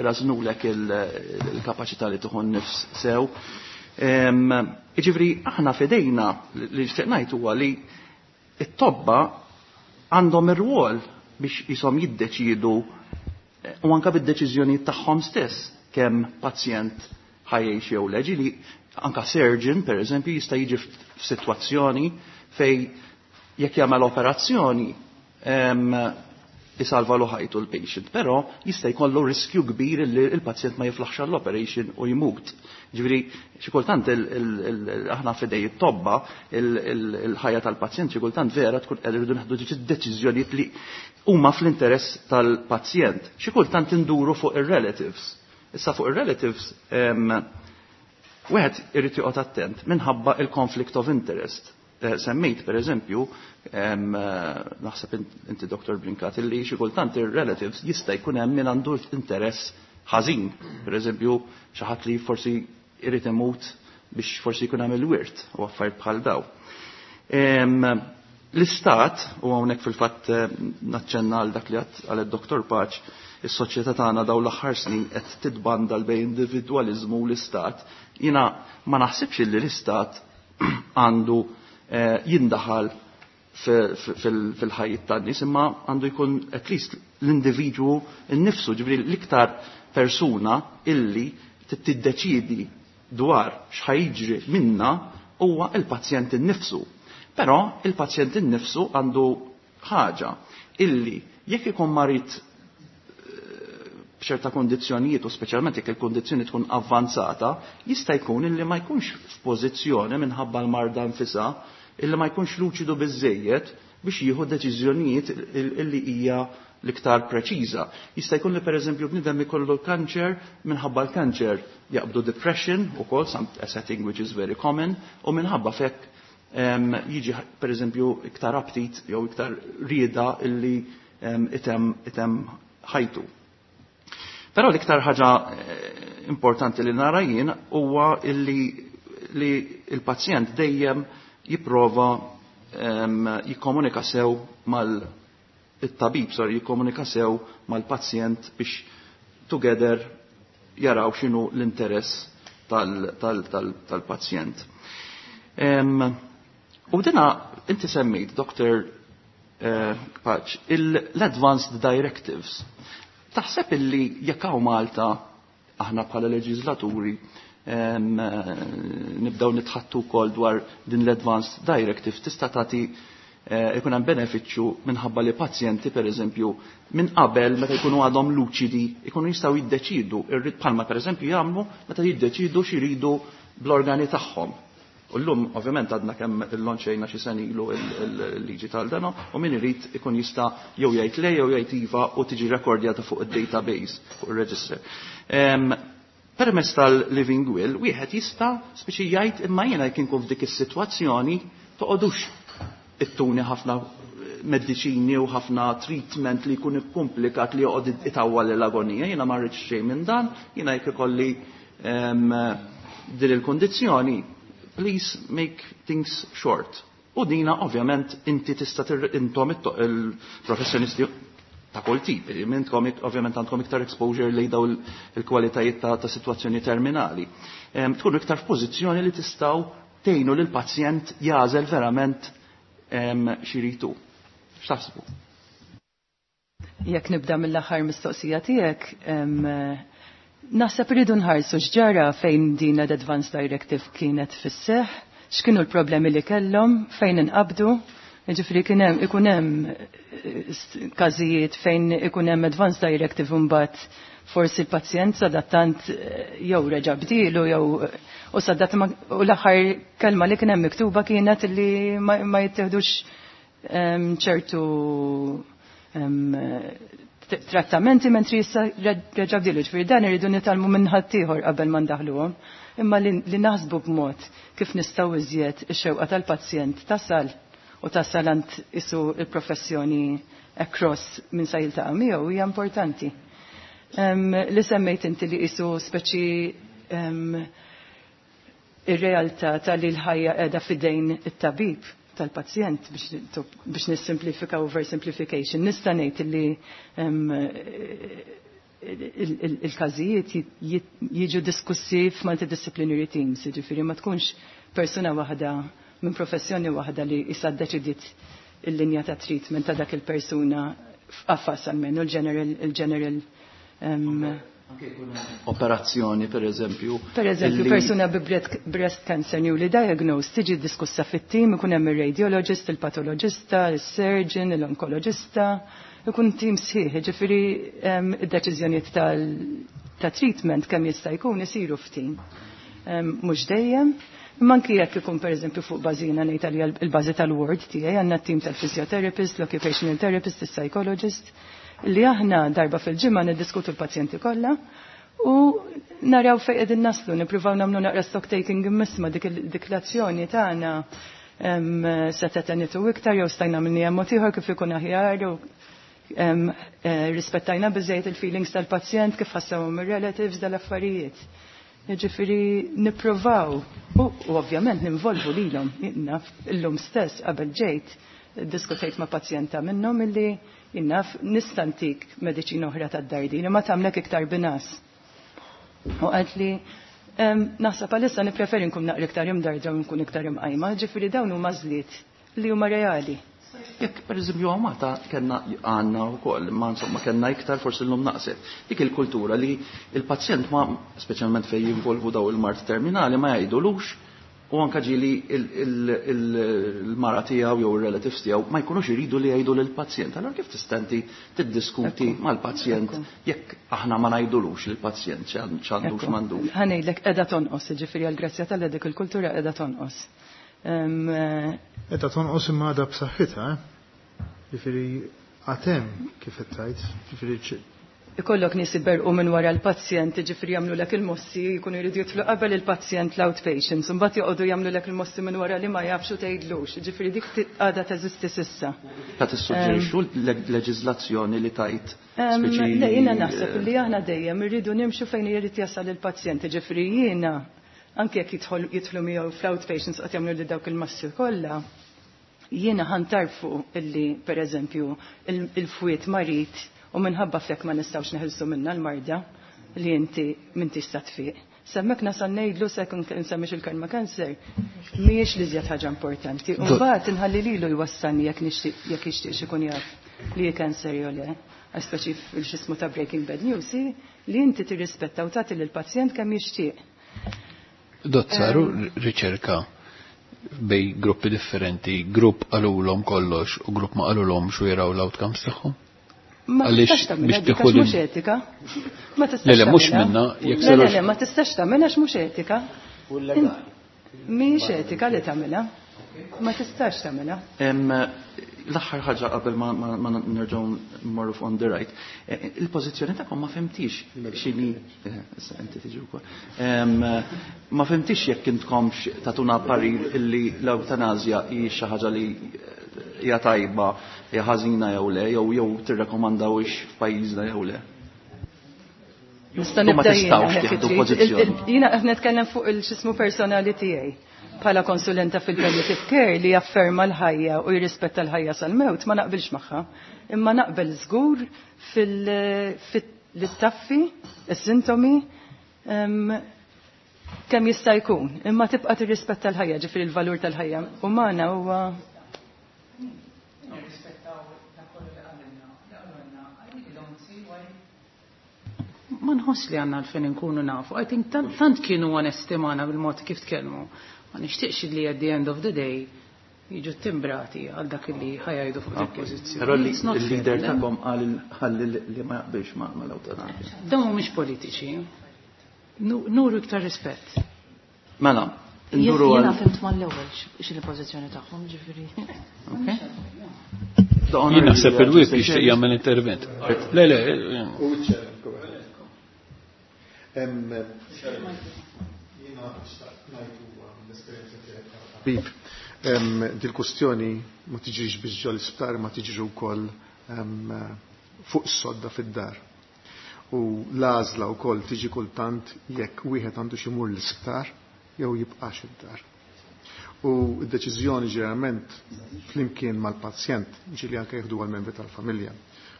rażnulek il-kapaċità li tieħu nifs sew. Jiġifieri aħna fidejna li nixtieq ngħid huwa li it-tobba għandhom ir-rwol biex jisom jiddeċidu u anka bid-deċiżjoni tagħhom stess kemm pazjent ħa jgħix jew le. Ġieli Anka surgeon, per eżempju, jista' jiġi f'sitwazzjoni fej jekk jagħmel operazzjoni isalva lu ħajtu l-patient, però jista' jkollu riskju kbir li l-pazjent ma jiflaħx għall-operation u jmut. Ġifieri xi kultant aħna f'idej it-tobba il-ħajja tal-pazjent xi kultant vera tkun qed irridu nieħdu deċiżjonijiet li huma fl-interess tal-pazjent. Xi kultant induru fuq ir-relatives. Issa fuq ir-relatives wieħed irid joqgħod attent minħabba il-conflict of interest. Semmejt per eżempju, naħseb inti Dr. Brincat, illi xi kultant ir-relatives jista' jkun hemm min għandu interess ħażin. Per eżempju, xi ħadd li forsi irid imut biex forsi jkun hemm il-wirt u affarijiet bħal daw. L-istat, u hawnhekk fil-fatt naċċenna għal dak li għal id-Dr. Paċ, is-soċjetà tagħna daw l-aħħar snin qed titbandal bejn individwaliżmu u l-istat. Jiena ma naħsibx li l-istat għandu jindaħal fil-ħajja tan-nies, imma għandu jkun at least l-individwu nnifsu, ġifieri l-iktar persuna illi tiddeċidi dwar x'ħajġri minna huwa il-pazjent innifsu. Però il-pazjent innifsu għandu ħaġa illi jekk ikun marid b'ċerta kondizzjonijiet u speċjalment jekk il-kondizzjoni tkun avvanzata, jista' jkun illi ma jkunx f'pożizzjoni minħabba l-marda nfisha illi ma jkunx luċidu biżejjed biex jieħu deċiżjonijiet illi hija l-iktar preċiża. Jista' jkun li pereżempju bniedem ikollu kanċer minħabba l-kanċer jaqbdu depression ukoll a setting which is very common u minħabba fekk jiġi pereżempju iktar aptit jew iktar rieda illi item ħajtu. Però l-iktar ħaġa importanti li nara jien huwa illi li il-pazjent dejjem jipprova jikkomunika sew mal it-tabib, sorry, jikkomunika sew mal-pazjent biex together jaraw x'inhu l-interess tal-pazjent. U dina inti semmejt, Dr. Paċ, l-Advanced Directives. Taħseb illi jekk hawn Malta aħna bħala leġislaturi nibdew nitħattu wkoll dwar din l-Advanced Directive tista' tagħti ikun hemm benefiċċju minħabba li pazjenti pereżempju minn qabel meta jkunu għadhom luċidi ikunu jistgħu jiddeċidu irrid bħalma pereżempju jagħmlu meta jiddeċidu x'iridu bl-organi tagħhom. U llum ovvjament għadna kemm illonċejna xi sen ilu il-liġi tal-dano u min irid ikun jista' jew jgħid le jew jgħid iva u tiġi rekordjata fuq id-database, fuq ir-register. Permezz tal-living will wieħed jista' speċi jgħid imma jiena jekk inkun f'dik is-sitwazzjoni toqgħodux ittuni ħafna mediċini u ħafna treatment li jkun ikkumplikat li joqgħod itawwal l-agonija, jiena ma rridx xejn minn dan, jiena jekk ikolli din il-kondizzjoni, please make things short. U dina ovvjament inti tista' intom il-professjonisti ta' kull tip, intkom ovvjament għandkom iktar exposure li daw il-kwalitajiet ta' situazzjoni terminali. Tkunu iktar f'pożizzjoni li tistgħu tgħinu lil pazjent jażel verament xiritu. X'taħsbu? Jekk nibda mill-aħħar mistoqsija tiegħek, naħseb irridu nħarsu x'ġara fejn din l-Advance Directive kienet fis-seħħ, x'kienu l-problemi li kellhom, fejn inqabdu. Ġifieri kien hemm ikun hemm każijiet fejn ikun hemm Advance Directive mbagħad forsi l-pazjent sadattant jew reġa' bdielu jew u sadat u l-aħħar kelma li kien hemm miktuba kienet li ma jittieħdux ċertu trattamenti mentri issa reġa' bdielu. Ġifieri dan irridu nitgħallmu minn ħaddieħor qabel ma ndaħluhom. Imma li naħsbu b'mod kif nistgħu iżjed ix-xewqa tal-pazjent tasal u tasal għand isu il-professjoni across minn sa jiltaqa' miegħu hija importanti. Li semmejt inti li isu speċi ir-realtà tal-li l-ħajja qiegħda f'idejn it-tabib tal-pazjent biex nissimplifika oversimplification. Nista' ngħid li il-każijiet jiġu diskussi f'multidisciplinary teams, jiġifieri ma tkunx persuna waħda minn professjoni waħda li issa ddeċidiet il-linja ta' treatment ta' dak il-persuna f'qafas almenu il-general. Operazzjoni, per eżempju. Per eżempju, persuna bi breast cancer newly diagnosed tiġi diskussa fit-tim, ikun hemm ir-radiologist, il-patologista, il-surgeon, l-onkologista, ikun tim sħiħ, ġifieri id-deċiżjonijiet ta' treatment kemm jista' jkun isiru f'tim. Mhux dejjem, imma anki jekk ikun pereżempju fuq bażina ngħid għalija l-bażi tal-ward tiegħi għandna t-tim tal-physiotherapist, l-occupational therapist, is-psychologist, li aħna darba fil-ġimgħa niddiskutu l-pazjenti kollha u naraw fejn qegħdin naslu, nippruvaw nagħmlu naqra stock taking immisma dik l-azzjoni tagħna se tenitu iktar jew stajna minni hemm mod ieħor kif ikun aħjar u rispettajna biżejjed il-feelings tal-pazjent kif ħassawhom ir-relatives dal-affarijiet. Jiġifieri nippruvaw u ovvjament ninvolvu lilhom naf illum stess qabel ġejt diskutejt ma' pazjenta minnhom illi jinnaf nistantik mediċina oħra tad-dardin ma tagħmlek iktar binas. U qalt li naħseb għalissa nippreferi nkun naqra iktar imdardra u nkun iktar imqajma, ġifieri dawn huma żliet li huma reali. Jekk per eżempju hawn Malta kellna għandna wkoll, ma insomma kellna iktar forsi llum naqset. Dik il-kultura li il-pazjent ma speċjalment fejn jinvolvu daw il-mard terminali ma jgħidulux u anka ġieli il-mara tiegħu jew ir-relatives tiegħu ma jkunux iridu li jgħidu lill-pazjent. Allora kif tista' inti tiddiskuti mal-pazjent jekk aħna ma ngħidulux lill-pazjent x'għandu x'm'għandux? Ħa ngħidlek qiegħda tonqos, jiġifieri għall-grazzja t'Alla dik il-kultura qiegħda tonqos. Qiegħda tonqos imma għadha b'saħħitha, eh? Jiġifieri għad hemm kif qed tgħid, jiġifieri Ikollok nies iberqu minn wara l-pazjent, ġifieri jagħmlulek il-mossi, jkunu jridu jidħlu qabel il-pazjent l-outpatients, imbagħad joqogħdu jagħmlulek il-mossi minn wara li ma jafx u tgħidlux. Ġifieri dik għadha teżisti s'issa. Ta' tissuġġerixxu leġiżlazzjoni li tajt speċi Le, jiena naħseb li aħna dejjem irridu nimxu fejn irid jasal il-pazjent, ġifieri jiena anke jekk jidħlu miegħu fl-outpatients qed jagħmlu li dawk il-massi kollha, jiena ħantarfu illi pereżempju il-fwied marid u minħabba f'hekk ma nistgħux neħilsu minna l-marda li inti m'intix sa tfiq. Semmek nasal ngħidlu se nsemmix il-kelma cancer, mhijiex li żjed ħaġa importanti. U mbagħad inħalli lilu jwassalni jekk nixtieq jekk jixtieqx ikun jaf li hi cancer jew le. Għax speċi fil-xismu ta' Breaking Bad News hi li inti tirrispetta u tagħti lill-pazjent kemm jixtieq. Dott, saru riċerka bej gruppi differenti, grupp qalulhom kollox u grupp ma qalulhomx u jaraw l-outcomes tagħhom? Ma Għaliex tistax tagħmilha biex dik tieħu għax mhux din- etika. Ma tistax Le, le, mhux tagħmilha. minna, jekk Le, le, sarux le, ma tistax tagħmilha għax mhux etika. U legali. Mhijiex etika li tagħmilha. Ma tistax tagħmilha. L-aħħar ħaġa qabel ma nerġgħu nmorru fuq on the right. Il-pożizzjoni tagħkom ma fhimtix x'inhi, issa inti tiġi wkoll. Ma fhimtix jekk intkomx tatuna parir illi l-ewtanasja hi xi ħaġa li hija tajba, hija ħażina jew le, jew tirrekomandawix f'pajjiżna jew le. Nista' U ma nibda jiena tistgħux jekk tieħdu trid. pożizzjoni. Jiena qed nitkellem fuq il-xismu personali tiegħi. Bħala konsulenta fil-palliative care li jafferma l-ħajja u jirrispetta l-ħajja sal-mewt ma naqbilx magħha. Imma naqbel żgur fil-taffi, is-sintomi, kemm jista' jkun. Imma tibqa' tirrispetta l-ħajja, ġifieri l-valur tal-ħajja umana huwa Ma nħoss li għandna għalfejn inkunu nafu. I think tant kienu onesti magħna bil-mod kif tkellmu. Ma nixtieqx li at the end of the day jiġu timbrati għal dak li ħajajdu fuq dik pożizzjoni. Però It's not fair, il-leader le? tagħkom qal li ma jaqbilx mal-ewtanasja. Dawn mhumiex politiċi. Nuru iktar rispett. Mela, nduru Jiena għal fhimt mal-ewwel x'inhi l-pożizzjoni tagħhom, ġifieri. Okay. Jien naħseb il-whip jixtieq jagħmel intervent. Le, le, U ċ-chair, go ahead. Jiena xtaqt ngħid huwa mill-esperjenza tiegħi bħala tabib. Dil-kustjoni ma tiġrix biex ġol isptar, ma tiġri wkoll fuq is-sodda fid-dar. U l-għażla wkoll tiġi kultant jekk wieħed għandu xi jmur l-isptar jew jibqax id-dar. U d-deċiżjoni ġeneralment flimkien mal-pazjent ġieli anke jieħdu għal-membri tal-familja.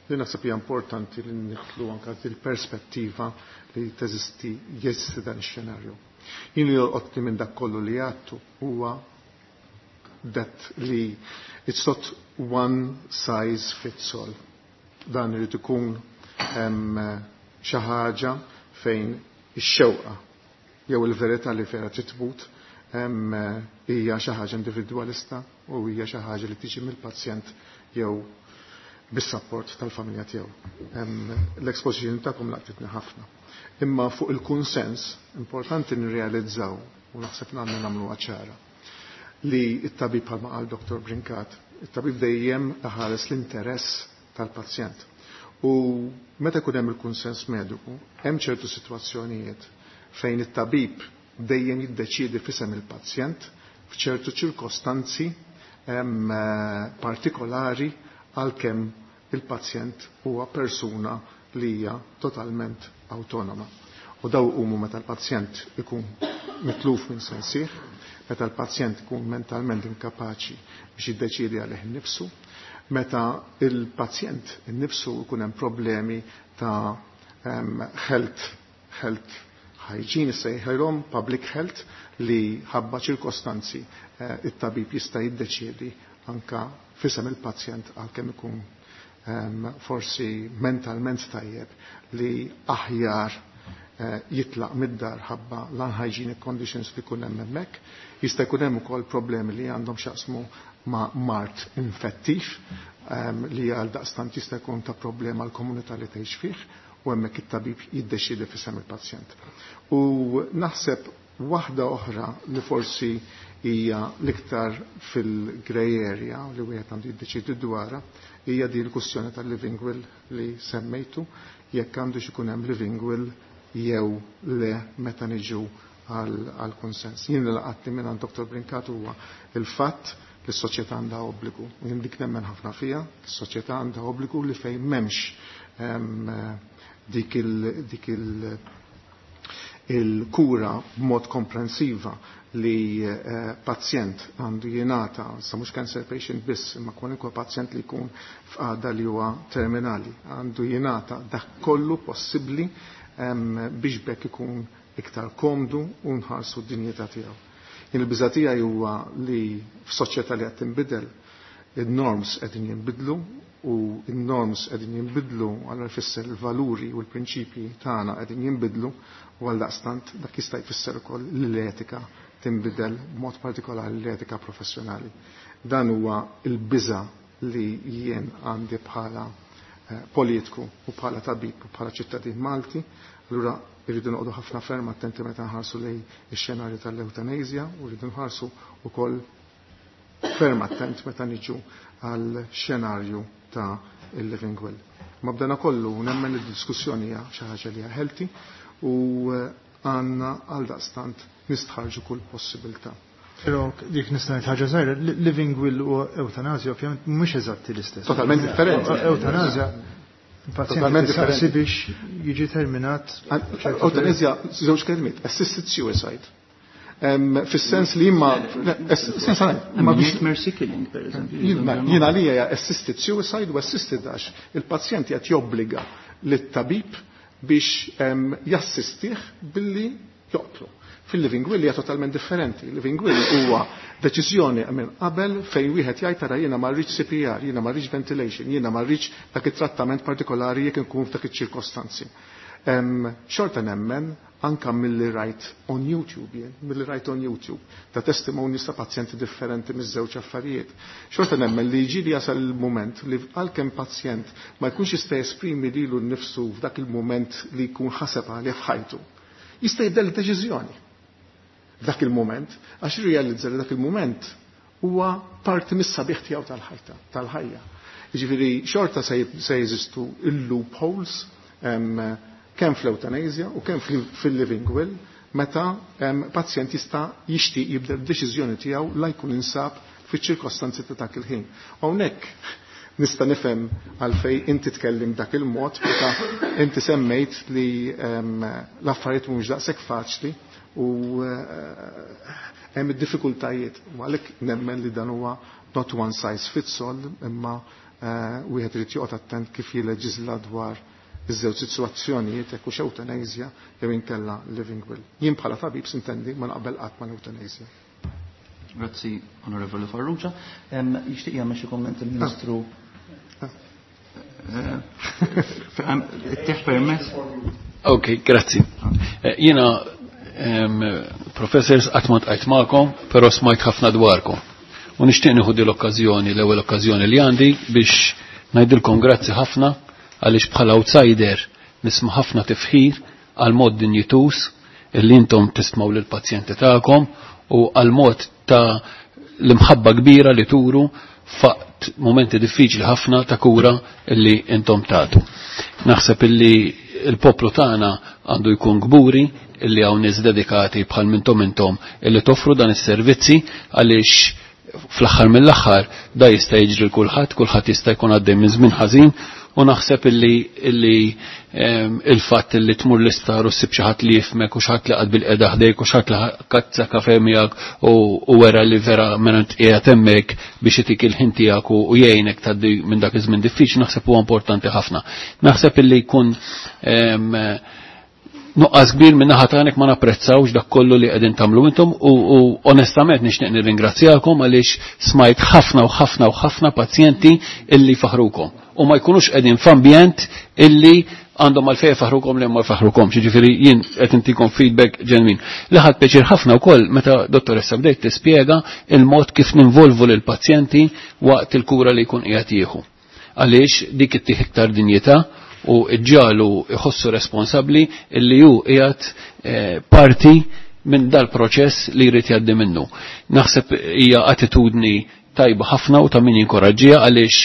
Li naħseb hija importanti li nidħlu anke il-perspettiva li teżisti jeżisti dan ix-xenarju. Jien li jolqotni minn dak kollu li għattu huwa that li it's not one size fits all. Dan irid ikun xi ħaġa fejn ix-xewqa jew il-verità li vera trid tmut hija xi ħaġa individwalista u hija xi ħaġa li tiġi mill-pazjent jew bis-sapport tal-familja tiegħu. L-exposition tagħkom laqtitni ħafna. Imma fuq il-kunsens importanti nirrealizzaw u naħseb għandna nagħmluha ċara li t-tabib bħalma qal Dr. Brincat, it-tabib dejjem ħares l-interess tal-pazjent. U meta jkun hemm il-kunsens mediku, hemm ċertu sitwazzjonijiet fejn it-tabib dejjem jiddeċiedi f'isem il-pazjent f'ċertu ċirkostanzi partikolari għalkemm il-pazjent huwa persuna li hija totalment autonoma. U daw huma meta l-pazjent ikun mitluf minn sensih, meta l-pazjent ikun mentalment inkapaċi biex jiddeċiedi għalih innifsu, meta il-pazjent innifsu ikun hemm problemi ta' health hygiene sejħilhom public health li ħabba ċirkostanzi it-tabib jista' jiddeċiedi anka fisem il-pazjent għalkemm ikun forsi mentalment tajjeb li aħjar jitlaq mid-dar ħabba l-unhygienic conditions li jkun hemm hemmhekk. Jista' jkun hemm ukoll problemi li għandhom x'jaqsmu ma' mart infettiv li għal daqstant jista' jkun ta' problema l-komunità li tgħix fih u hemmhekk it-tabib jiddeċiedi f'isem il-pazjent. U naħseb waħda oħra li forsi hija l-iktar fil-grey area li wieħed għandu jiddeċiedi dwarha hija din il-kwestjoni tal-living will li semmejtu, jekk għandu ikun hemm living will jew le meta niġu għal konsens. Jien li laqatni minn Dr. Brincat huwa il-fatt li s-soċjetà għandha obbligu. U jien dik nemmen ħafna fija, s-soċjetà għandha obbligu li fejn m'hemmx dik il-kura b'mod komprensiva li pazjent għandu jingħata, sa mhux cancer patient biss, imma kwalunkwe pazjent li jkun f'qagħda li huwa terminali, għandu jingħata dak kollu possibbli biex bekk ikun iktar komdu u nħarsu d-dinjità tiegħu. Jien il-biża' tiegħi huwa li f'soċjetà li qed tinbidel, in-norms qegħdin jinbidlu u n-norms qegħdin jinbidlu għal jfisser il-valuri u l-prinċipji tagħna qegħdin jinbidlu u għal daqstant dak jista' jfisser ukoll li l-etika tinbidel b'mod partikolari l-etika professjonali. Dan huwa l-biża' li jien għandi bħala politiku u bħala tabib u bħala ċittadin Malti, allura irridu noqogħdu ħafna ferm attenti meta nħarsu lejn ix-xenarju tal-eutanasja u rridu nħarsu wkoll ferm attent meta niġu għal xenarju ta' il-living will. Ma b'dana kollu nemmen id-diskussjoni hija xi ħaġa li hija healthy u għandna għal daqstant nistħarġu kull possibilità. Però dik nista' ngħid ħaġa żgħira, living will u eutanasja ovvjament mhumiex eżatti l-istess. Totalment differenti. Eutanasja Totalment differenti biex jiġi terminat. Eutanasja żewġ kelmiet, assisted suicide. Fis-sens li imma ma biex mercy killing per eżempju. Jiena li hija assisted suicide u assisted għax il-pazjent qed jobbliga lit-tabib biex jassistih billi joqtlu. Fil-living will hija totalment differenti. Living will huwa deċiżjoni minn qabel fejn wieħed jgħid tara jiena ma rridx CPR, jiena ma rridx ventilation, jiena ma rridx dak it-trattament partikolari jekk inkun f'dak iċ-ċirkostanzi. Xorta nemmen anka milli rajt on YouTube jien, milli rajt on YouTube ta' testimonies ta' pazjenti differenti miż-żewġ affarijiet. Xorta nemmen li jiġi li jasal il-mument li għalkemm pazjent ma jkunx jista' jesprimi lilu nnifsu f'dak il-mument li jkun ħaseb għalih f'ħajtu. Jista' jibdel deċiżjoni f'dak il-mument, għax irrealizza li dak il-mument huwa parti mis-sabiħ tiegħu tal-ħajta, tal-ħajja. Jiġifieri xorta se jeżistu il-loopholes kemm fl-eutanasja u kemm fil-living will meta pazjent jista' jixtieq jibdel d-deċiżjoni tiegħu la jkun insab fiċ-ċirkostanzi ta' dak il-ħin. Hawnhekk nista' nifhem għalfej inti tkellim dak il-mod meta inti semmejt li l-affarijiet mhumiex daqshekk faċli u hemm id-diffikultajiet. U għalhekk nemmen li dan huwa not one size fits all, imma wieħed irid joqgħod attent kif jileġiżla dwar iż-żewġ sitwazzjonijiet jekk hux eutanasja jew inkella living will. Jien bħala tabib sintendi ma naqbel qatt ma' l-eutanasja. Grazzi, Onorevoli Farrugia. Jixtieq jagħmel xi komment il-Ministru. Tieħ permess. Ok, grazzi. Jiena professors qatt ma tqajt magħkom, però smajt ħafna dwarkom. U nixtieq nieħu din l-okkażjoni, l-ewwel okkażjoni li għandi biex ngħidilkom grazzi ħafna għaliex bħala outsider nisma' ħafna tifħir għal mod dinjituż illi intom tismaw lill-pazjenti tagħkom u għal mod ta' l-imħabba kbira li turu faqt momenti diffiċli ħafna ta' kura illi intom tagħtu. Naħseb illi il-poplu tagħna għandu jkun kburi illi hawn nies dedikati bħal mintom intom illi toffru dan is-servizzi għaliex fl-aħħar mill-aħħar da jista' jiġri l kulħadd, kulħadd jista' jkun għaddej minn żmien ħażin u naħseb illi il-fatt illi tmur l-isptar u ssib xi ħadd li jifhmek u xi ħadd li qagħad bil-qiegħda ħdejk u xi ħadd li kazza kafe miegħek u wera li vera mela int qiegħed hemmhekk biex itik il-ħin tiegħek u jgħinek tgħaddi minn dak iż-żmien diffiċli naħseb huwa importanti ħafna. Naħseb illi jkun nuqqas kbir minn naħa tagħnek ma napprezzawx dak kollu li qegħdin tagħmlu intom u onestament nixtieq nirringrazzjakom għaliex smajt ħafna u ħafna u ħafna pazjenti illi faħrukom u ma jkunux qegħdin f'ambjent illi għandhom għalfejn faħrukom li ma jfaħrukomx, jiġifieri jien qed intikom feedback ġenwin. Li ħadt pjaċir ħafna wkoll meta dottoressa bdejt tispjega il-mod kif ninvolvu lill-pazjenti waqt il-kura li jkun qiegħed jieħu. Għaliex dik ittih iktar dinjità u ġġalu jħossu responsabbli illi hu qiegħed parti minn dal-proċess li jrid jgħaddi minnu. Naħseb hija attitudni tajba ħafna u ta' min jinkoraġġiha għaliex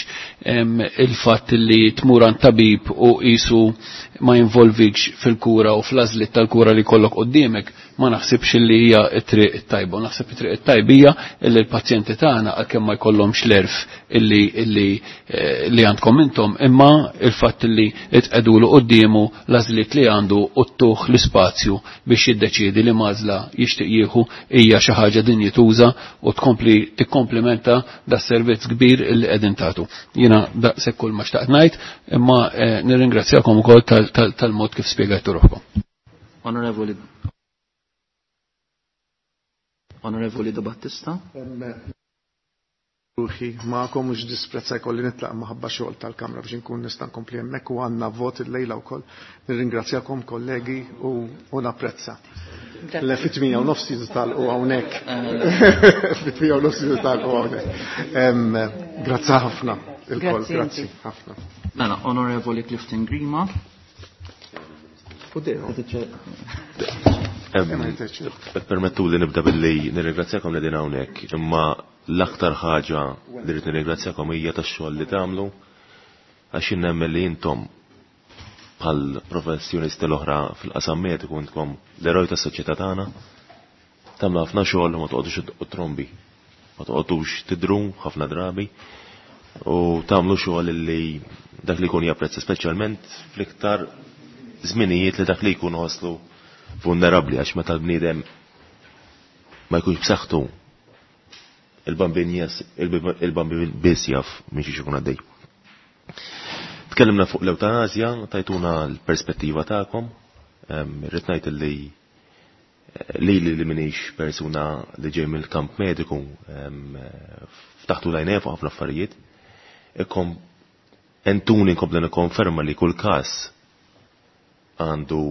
il-fatt li tmur għand tabib u qisu ma jinvolvikx fil-kura u fl-għażliet tal-kura li jkollok quddiemek ma naħsibx li hija t-triq it-tajba. Naħseb it-triq it-tajba hija illi l-pazjenti tagħna għalkemm ma jkollhomx l-għerf illi illi li għandkom intom, imma il-fatt illi tqegħdulu quddiemu l-għażliet li għandu u ttuh l-ispazju biex jiddeċiedi li m'għażla jixtieq jieħu hija xi ħaġa dinjituża u tkompli tikkomplimenta das-servizz kbir illi qegħdin tagħtu. Jiena daqshekk kull ma xtaqt ngħid, imma nirringrazzjakom ukoll tal-mod kif spjegajtu ruħkom. Onorevoli Onorevoli De Battista. Ruħi ma'kom mhux disprezza jkolli nitlaq maħabba xogħol tal-Kamra biex inkun nista' nkompli hemmhekk u għandna vot illejla wkoll. Nirringrazzjakom kollegi u napprezza. Le fit-8 u nofs jiżtalqu hawnhekk. Fit-8 u nofs jiżtalqu hawnhekk. Grazzi ħafna ilkoll, grazzi ħafna. Mela, Onorevoli Clifton Grima. Permettu li nibda billi nirringrazzjakom li din hawnhekk, imma l-aktar ħaġa li rrid nirringrazzjakom hija tax-xogħol li tagħmlu għax jien nemmen li intom bħal professjonisti l-oħra fil-qasam mediku intkom l-eroj tas-soċjetà tagħna. Tagħmlu ħafna xogħol u ma toqgħodux iddoqqu trombi, ma toqgħodux tidru ħafna drabi u tagħmlu xogħol li dak li jkun japprezza speċjalment fl-iktar żminijiet li dak li jkun ħosslu vulnerabbli għax meta l-bniedem ma jkunx b'saħħtu il-bambin il-bambin biss jaf minn xiex ikun għaddej. Tkellimna fuq l-eutanazja, tajtuna l-perspettiva tagħkom. Irrid ngħid li lili li minix persuna li ġej mill-kamp mediku ftaħtu l-għajnejja fuq ħafna affarijiet. Ikkom entuni nkompli nikkonferma li kull każ għandu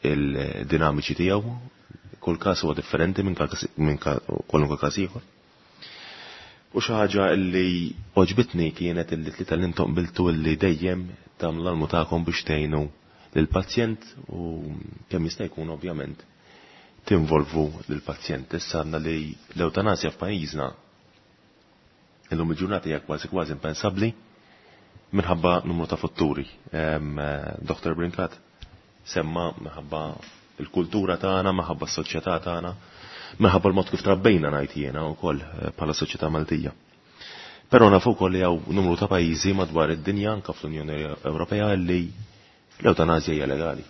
il-dinamiċi tiegħu, kull każ huwa differenti minn kwalunkwe każ ieħor. U xi ħaġa li għoġbitni kienet illi tlieta li intom qbiltu illi dejjem tagħmlu l-almu tagħkom biex tgħinu lill-pazjent u kemm jista' jkun ovvjament tinvolvu lill-pazjent. Issa għandna li l-eutanasja f'pajjiżna illum il-ġurnata hija kważi kważi impensabbli minħabba numru ta' fatturi. Dr. Brincat semma minħabba il-kultura tagħna, minħabba s-soċjetà tagħna, minħabba l-mod kif trabbejna ngħid jiena wkoll bħala soċjetà Maltija. Però nafu wkoll li hawn numru ta' pajjiżi madwar id-dinja anke fl-Unjoni Ewropea li l-eutanasja hija legali.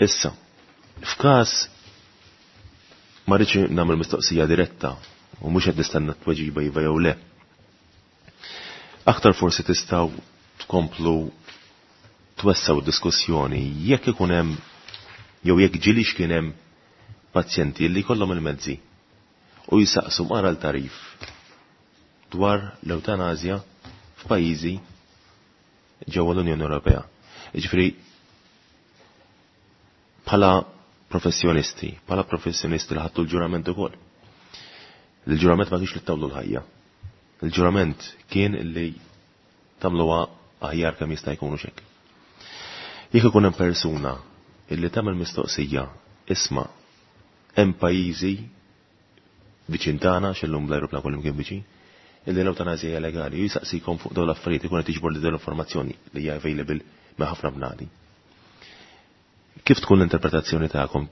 Issa, f'każ ma rridx nagħmel mistoqsija diretta u mhux qed nistenna tweġiba iva jew le. Aktar forsi tistgħu tkomplu twessaw diskussjoni jekk ikun hemm jew jekk ġilix kien hemm pazjenti li jkollhom il-mezzi u jisaqsu mara l-tarif dwar l-eutanazja f'pajjiżi ġewwa l-Unjoni Ewropea. Jiġifieri Bħala professjonisti, bħala professjonisti li ħadtu l-ġurament ukoll. Il-ġurament ma kienx li tawlu l-ħajja. Il-ġurament kien li tagħmluha aħjar kemm jista' jkun u xek. Jekk ikun hemm persuna illi tagħmel mistoqsija, isma' hemm pajjiżi viċin tagħna x'illum bl-ajruplan kollu kien viċin, illi l-eutanazja hija legali, u jisaqsikom fuq dawn l-affarijiet ikun qed jiġbor li dawn l-informazzjoni li hija available ma' ħafna bnadi. Kif tkun l-interpretazzjoni tagħkom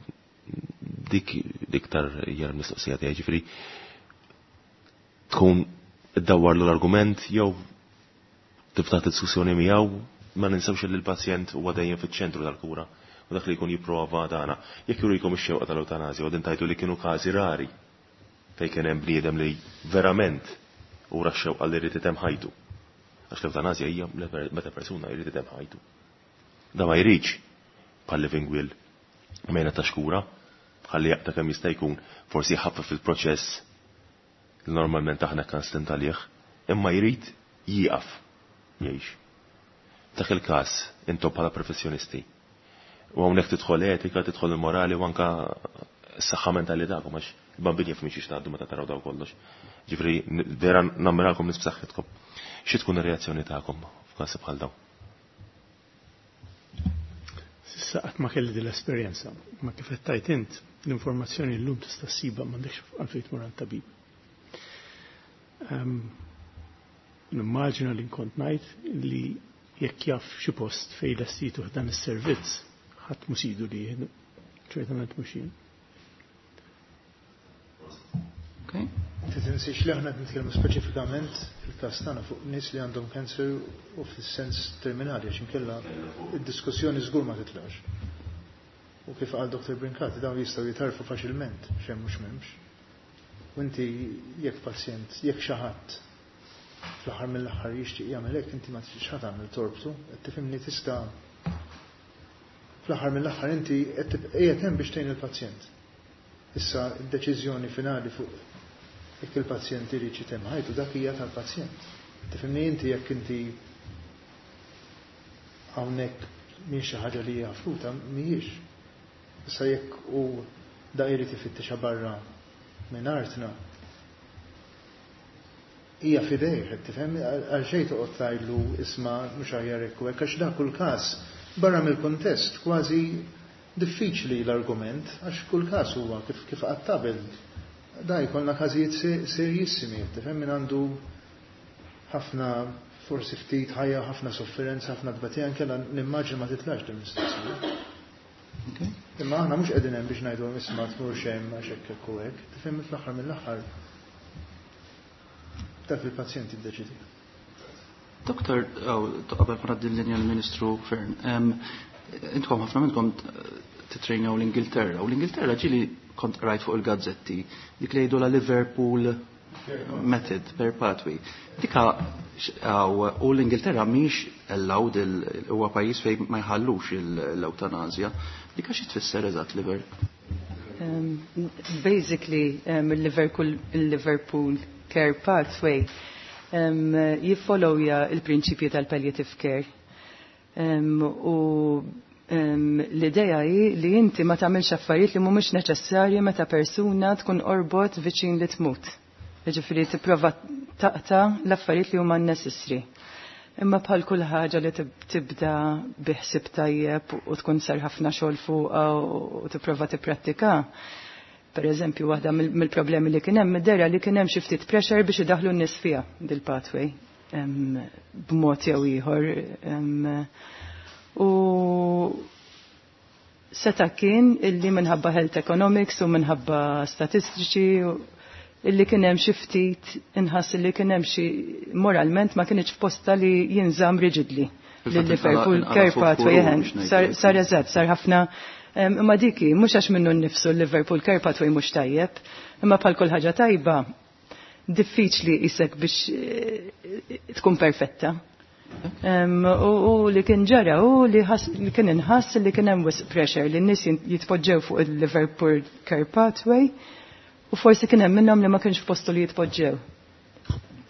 dik iktar hija l-mistoqsija tiegħi, ġifieri tkun iddawwarlu l-argument jew tiftaħ diskussjoni miegħu, ma ninsewx li l-pazjent huwa dejjem fiċ-ċentru tal-kura u dak li jkun jipprova dana. Jekk jurikom ix-xewqa tal-eutanazja u din tajtu li kienu każi rari fejn kien hemm bniedem li verament ura x-xewqa li jrid itemm ħajtu. Għax l-eutanazja hija meta persuna jrid itemm ħajtu. Da ma jridx bħal living will mejna ta' xkura, ħalli jaqta' kemm jista' jkun forsi jħaffef il-proċess li normalment aħna kan stint għalih, imma jrid jieqaf jgħix. Dak il-każ intom bħala professjonisti. U hawnhekk tidħol etika, tidħol il-morali u anka s-saħħa mentali tagħkom għax il-bambin jaf minn xiex tgħaddu meta taraw daw kollox. Ġifieri vera nammirakom nies b'saħħitkom. Xi tkun ir-reazzjoni tagħkom f'każ bħal dawn? S'issa qatt ma kelli din l-esperjenza, ma kif qed tgħid int, l-informazzjoni llum tista' ssibha m'għandekx għalfejn tmur għand tabib. Nimmaġina li nkont ngħid li jekk jaf xi post fejn lestituh dan is-servizz, ħadd mhu sidu li jieħdu, ċertament mhux jien. Okay. Tinsiex li aħna qed nitkellmu speċifikament fil-każ tagħna fuq nies li għandhom cancer u fis-sens terminali għax inkella id-diskussjoni żgur ma titlax. U kif qal Dr. Brincati dawn jistgħu jitarfu faċilment x'hemm mhux m'hemmx. U inti jekk pazjent, jekk xi ħadd fl-aħħar mill-aħħar jixtieq jagħmel hekk, inti ma tixtieqx ħadd tagħmel torbtu, qed tifhimni tista' fl-aħħar mill-aħħar inti qed qiegħed hemm biex tgħin il-pazjent. Issa d-deċiżjoni finali fuq jekk il-pazjent irid jitemm ħajtu dak hija tal-pazjent. Tifhimni inti jekk inti hawnhekk mhix xi ħaġa li hija fruta, mhijiex. Issa jekk hu da jrid ifittixha barra minn artna, hija f'idejh, qed tifhem, għal xejn toqgħod tgħidlu isma' mhux aħjar hekk u hekk, għax dak kull każ barra mill-kuntest kważi diffiċli l-argument, għax kull każ huwa kif kif qatt qabel. Da jkollna każijiet serjissimi, qed tifhem, min għandu ħafna forsi ftit ħajja, ħafna sofferenza, ħafna tbatija, inkella nimmaġina ma titlax din mistoqsija. Imma aħna mhux qegħdin hemm biex ngħidu isma' tmur hemm għax hekk hekk u hekk, tifhem fl-aħħar mill-aħħar dak il-pazjent jiddeċidi. Doktor, qabel ma ngħaddi l-linja l-Ministru Fern, intkom ħafna minnkom titrejnaw l-Ingilterra, u l-Ingilterra ġieli kont rajt fuq il-gazzetti dik li jgħidu la Liverpool method per pathway. Dika u l-Ingilterra mhix allowed huwa pajjiż fejn ma jħallux l-eutanazja. Dika xi tfisser eżatt Liverpool? Basically, il-Liverpool Care Pathway jiffollowja il-prinċipji tal-palliative care. U l-ideja hi li inti ma tagħmilx affarijiet li mhumiex neċessarji meta persuna tkun orbot viċin li tmut. Jiġifieri tipprova taqta' l-affarijiet li huma necessary. Imma bħal kull ħaġa li tibda biħsib tajjeb u tkun sar ħafna xogħol fuqha u tipprova tipprattika. Per eżempju, waħda mill-problemi li kien hemm id-dera li kien hemm xi ftit pressure biex idaħlu n-nies fiha dil-pathway b'mod jew ieħor. U seta' kien illi minħabba health economics u minħabba statistiċi illi kien hemm xi ftit inħass illi kien hemm xi moralment ma kienx f'posta li jinżamm rigidly. Lil-Liverpool Care Pathway sar eżatt, sar ħafna imma diki mhux għax minnu nnifsu l-Liverpool Care Pathway mhux tajjeb, imma bħal kull ħaġa tajba diffiċli isek biex tkun perfetta. U li kien ġara u li kien inħass li kien hemm wisq pressure li n-nies jitpoġġew fuq il-Liverpool Care Pathway u forsi kien hemm minnhom li ma kienx f'postu li jitpoġġew.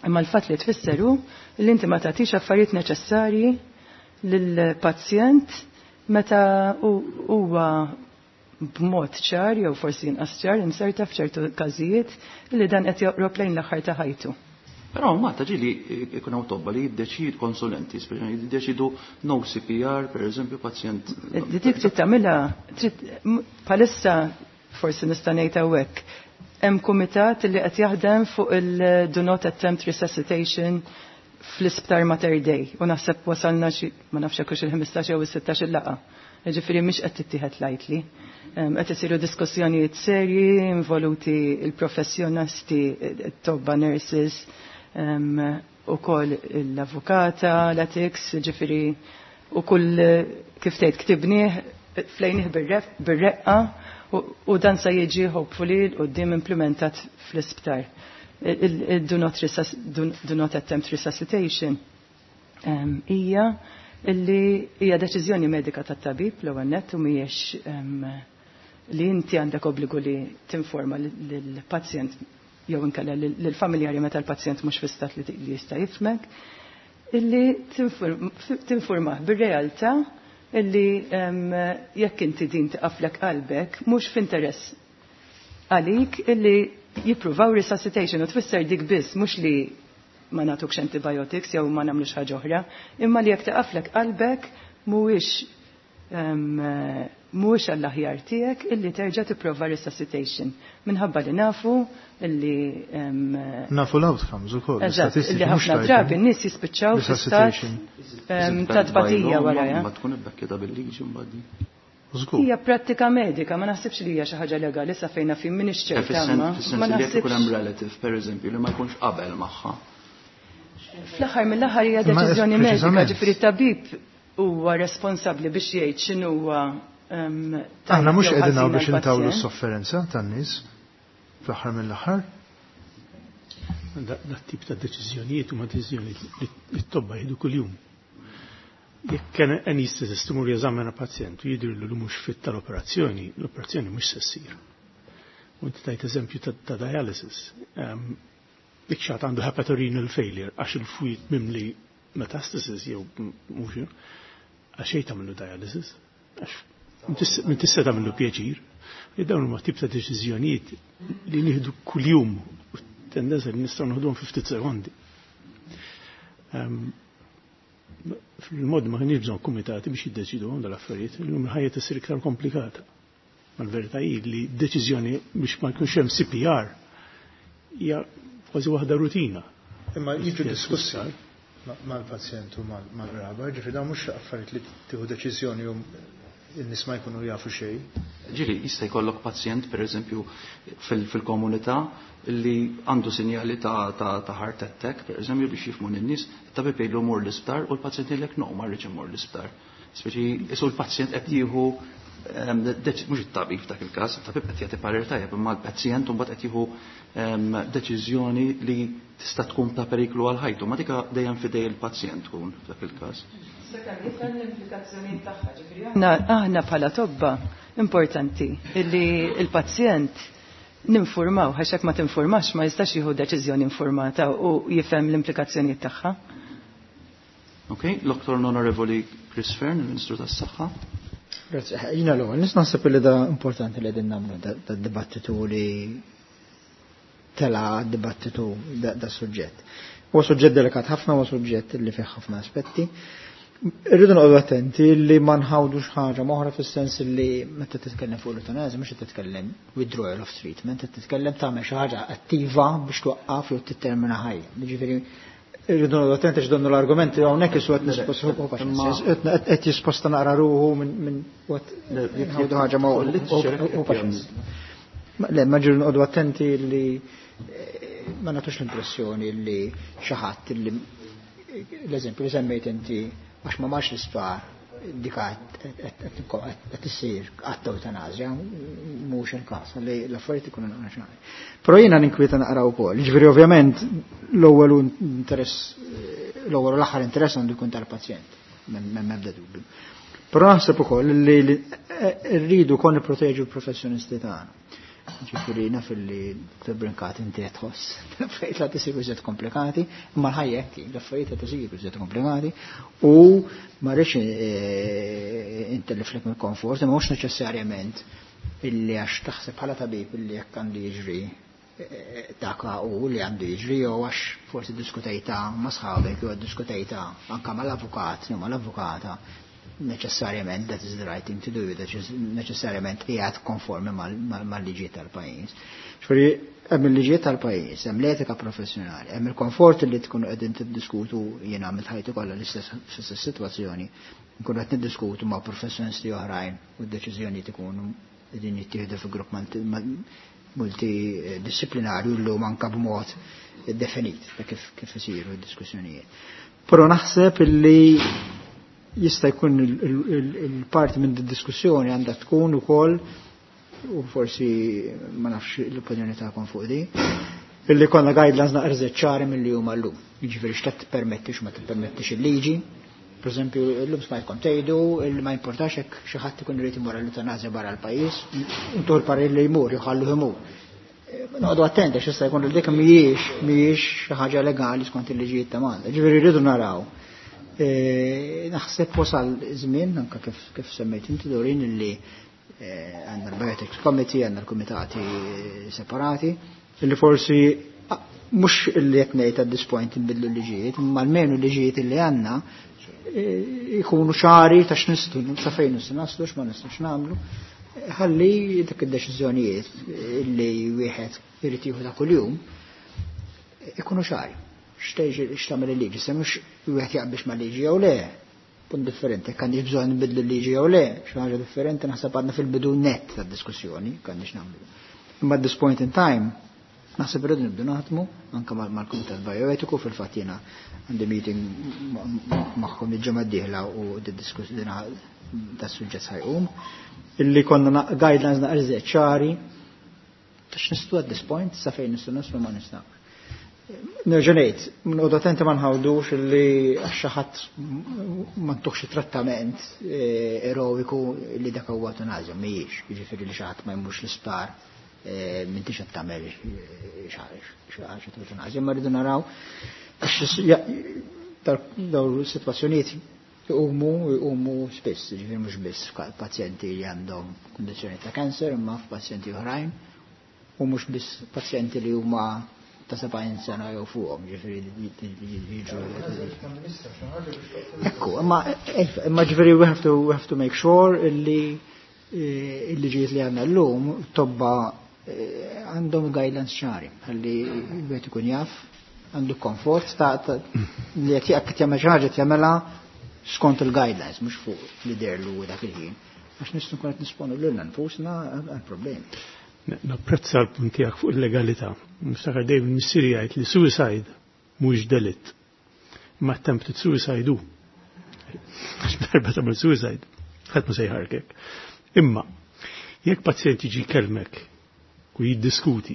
Imma l-fatt li tfisser hu li inti ma tagħtix affarijiet neċessarji lill-pazjent meta huwa b'mod ċar jew forsi inqas ċar inserta f'ċertu każijiet li dan qed joqrob lejn l-aħħar ta' ħajtu. Però Malta ġieli ikun hawn tobba li jiddeċidu konsulenti, speċjalment jiddeċidu no CPR, per eżempju, pazjent. Dik trid tagħmilha trid bħalissa forsi nista' ngħid hawnhekk. Hemm kumitat li qed jaħdem fuq il-do not attempt resuscitation fl-isptar Mater Dei u naħseb wasalna xi ma nafx hekk hux il-15 jew is-16 il-laqgħa. Jiġifieri mhix qed tittieħed lightly. Qed isiru diskussjonijiet serji involuti il-professjonisti, it-tobba nurses, ukoll l-avukata, l-ethics, jiġifieri u kull kif tgħid ktibnieh flejnih bir-reqqa u dan se jiġi hopefully 'l quddiem implementat fl-isptar. Il-do not, do not attempt resuscitation hija illi hija deċiżjoni medika tat-tabib l-ewwel nett u mhijiex li inti għandek obbligu li tinforma lill-pazjent jew inkella lill-familjari meta l-pazjent mhux fi stat li jista' jifhmek, illi tinformah bir-realtà illi jekk inti din tiqaflek qalbek mhux f'interess għalik illi jippruvaw resuscitation u tfisser dik biss mhux li ma nagħtukx antibiotics jew ma nagħmlux ħaġa oħra, imma li jekk tiqaflek qalbek mhuwiex għall-aħjar tiegħek illi terġa' tipprova resuscitation minħabba li nafu illi Nafu l-outcomes ukoll. Eżatt, illi ħafna drabi n-nies jispiċċaw fi stat ta' tbatija wara. Ma tkun ibbekkjata bil-liġi mbagħad. Hija prattika medika, ma naħsibx li hija xi ħaġa legali sa fejna fin m'iniex ċerta. Ma naħsibx ikun hemm relative pereżempju li ma jkunx qabel magħha. Fl-aħħar mill-aħħar hija deċiżjoni medika, ġifieri tabib huwa responsabbli biex jgħid x'inhuwa. Aħna mhux qegħdin hawn biex intawlu s-sofferenza tan-nies fl-aħħar mill-aħħar. Dat tip ta' deċiżjonijiet huma deċiżjonijiet li t-tobba jieħdu kuljum. Jekk anesthetist imur jeżamina pazjent u jidhirlu li mhux fit tal-operazzjoni, l-operazzjoni mhux se ssir. U inti tajt eżempju ta' dialysis. Dik xi ħadd għandu hepatorenal failure għax il-fwied mimli metastasis jew mhux għax xejn tagħmlu dialysis. Għax min tista' tagħmlu pjaċir. Dawn huma tip ta' deċiżjonijiet li nieħdu kuljum u tendenza li nistgħu nieħduhom fi ftit sekondi. Fil-mod ma kienx bżonn kumitati biex jiddeċidu għom dal-affarijiet, illum il-ħajja tisir iktar komplikata. Ma l-verità hi li deċiżjoni biex ma jkunx hemm CPR hija kważi waħda rutina. Imma jiġu diskussi mal-pazjent u mal-qraba, ġifieri dawn mhux affarijiet li tieħu deċiżjoni u n-nies ma jkunu jafu xejn. Ġieli, jista' jkollok pazjent, per eżempju, fil-komunità li għandu sinjali ta' heart attack, per eżempju, biex jifhmu n-nies, tabib jgħidlu mur l-isptar u l-pazjent jgħidlek no, ma rridx immur l-isptar. Speċi, isu l-pazjent qed jieħu mhux it-tabib f'dak il-każ, it-tabib qed jagħti parir tajjeb, imma l-pazjent mbagħad qed jieħu deċiżjoni li tista' tkun ta' periklu għal ħajtu, ma dika dejjem f'idej il-pazjent tkun f'dak il-każ. Aħna bħala tobba importanti illi il-pazjent ninformaw, għax jekk ma tinformax ma jistax jieħu deċiżjoni informata u jifhem l-implikazzjonijiet tagħha. Ok, l-Dr. Onorevoli Chris Fearne, il-Ministru tas-Saħħa. Grazie. Jiena l-ewwel, nis naħseb li da importanti li qegħdin nagħmlu da dibattitu li tela dibattitu da suġġett. Huwa suġġett delikat ħafna, huwa suġġett li fih ħafna aspetti. Irridu noqogħdu attenti li ma nħawdux ħaġa oħra fis-sens li meta titkellem fuq l-eutanasja mhux qed titkellem withdrawal of treatment, qed titkellem tagħmel xi ħaġa attiva biex twaqqaf jew tittermina ħajja. Jiġifieri irridu noqogħdu attenti għax donnu l-argumenti hawnhekk isu qed nisposta qed jisposta naqra ruħu minn nħawdu ħaġa ma u paċenzja. Le, ma ġiru noqogħdu attenti li ma nagħtux l-impressjoni li xi ħadd li l-eżempju li semmejt inti għax ma marx l-isptar dika qed issir għatta eutanasja, mhux il-każ li l-affarijiet ikunu naqra xi. Però jiena ninkwieta naqra wkoll. Jiġifieri ovvjament l-ewwel interess l-ewwel u l-aħħar interess għandu jkun tal-pazjent, m'hemm ebda dubju. Però naħseb ukoll li rridu kon nipproteġu l-professjonisti tagħna. Ġifieri naf li Dr. Brincat inti qed tħoss l-affarijiet la tisiru iżjed komplikati, imma l-ħajja hekk hi, l-affarijiet qed isiru iżjed komplikati u ma rridx intelliflek mill-komfort, imma mhux neċessarjament illi għax taħseb bħala tabib illi jekk għandu jiġri dak u li għandu jiġri jew għax forsi diskutejta ma' sħabek jew diskutejta anka mal-avukat jew mal-avukata, neċessarjament that is the right thing to do, that is neċessarjament qiegħed konformi mal-liġijiet tal-pajjiż. Ġifieri hemm il-liġijiet tal-pajjiż, hemm l-etika professjonali, hemm il-komfort li tkunu qegħdin tiddiskutu. Jiena għamilt ħajti kollha l-istess sitwazzjoni, nkunu qed niddiskutu ma' professjonisti oħrajn u d-deċiżjonijiet ikunu qegħdin jittieħdu fi grupp multidisciplinarju llum anka b'mod definit ta' kif isiru d-diskussjonijiet. Però naħseb illi jista' jkun il-parti minn diskussjoni għandha tkun ukoll, u forsi ma nafx l-opinjoni tagħkom fuq di, illi konna guidelines naqra ċari milli huma llum. Jiġifieri x'qed tippermetti, x'ma tippermettix il-liġi. Per eżempju, llum smajtkom tgħidu illi ma importax hekk xi ħadd ikun irid imur l-eutanazja barra l-pajjiż, intu l-parir li jmur, jħallu imur. Noqogħdu attenti għax jista' jkun li dik mhijiex xi ħaġa legali skont il-liġijiet ta' Malta. Ġifieri rridu naraw. Naħseb wasal żmien anke kif semmejt inti, Dorin, illi għandna l-Bioethics Committee, għandna l-kumitati separati, illi forsi mhux illi qed ngħid at this point nbidlu l-liġijiet, imma almenu l-liġijiet illi għandna ikunu ċari ta' x'nistgħu, sa fejn nistgħu naslu, x'ma nistgħux nagħmlu. Ħalli dak id-deċiżjonijiet illi wieħed irid jieħu ta' kuljum ikunu ċari. X'tagħmel il-liġi, se mhux wieħed jaqbix ma' liġi jew le. Punt differenti, jekk għandix bżonn nbidlu l-liġi jew le, xi ħaġa differenti, naħseb għadna fil-bidu net tad-diskussjoni, għandix nagħmlu. Imma at this point in time, naħseb irridu nibdu naħdmu anke mal-Kumitat Bioetiku. Fil-fatt jiena għandi meeting magħhom il-ġimgħa d-dieħla u diskussjoni das-suġġett ħa jqum. Illi konna guidelines naqra ċari ta' x'nistgħu at this point, sa fejn nistgħu naslu, ma nistgħu. Nerġa' ngħid, noqogħdu attenti ma nħawdux illi għax xi ħadd ma ntuhx trattament eroiku li dak huwa eutanazja, mhijiex, jiġifieri li xi ħadd ma jmurx l-isptar m'intix qed tagħmel xi ħaġa ta' eutanazja, ma rridu naraw għax dawn sitwazzjonijiet jqumu spiss, ġifieri mhux biss pazjenti li għandhom kundizzjoni ta' kanser, imma f'pazjenti oħrajn, u mhux biss pazjenti li huma ta' 70 sena jew fuqhom, ġifieri jiġu. Ekku, imma ġifieri we have to make sure illi il-liġijiet li għandna llum tobba għandhom guidelines ċari, ħalli wieħed ikun jaf, għandu komfort ta' li qed jekk jagħmel xi ħaġa jagħmelha skont il-guidelines, mhux fuq li derlu dak il-ħin. Għax nistgħu nkun qed nisponu lilna nfusna għal problemi. Napprezza l-punt tiegħek fuq il-legalità. Niftakar dejjem missieri jgħid li suicide mhux delitt. Imma attempted suicide hu. Għax darba tagħmel suicide, ħadd ma se jħarkek. Imma jekk pazjent jiġi jkellmek u jiddiskuti,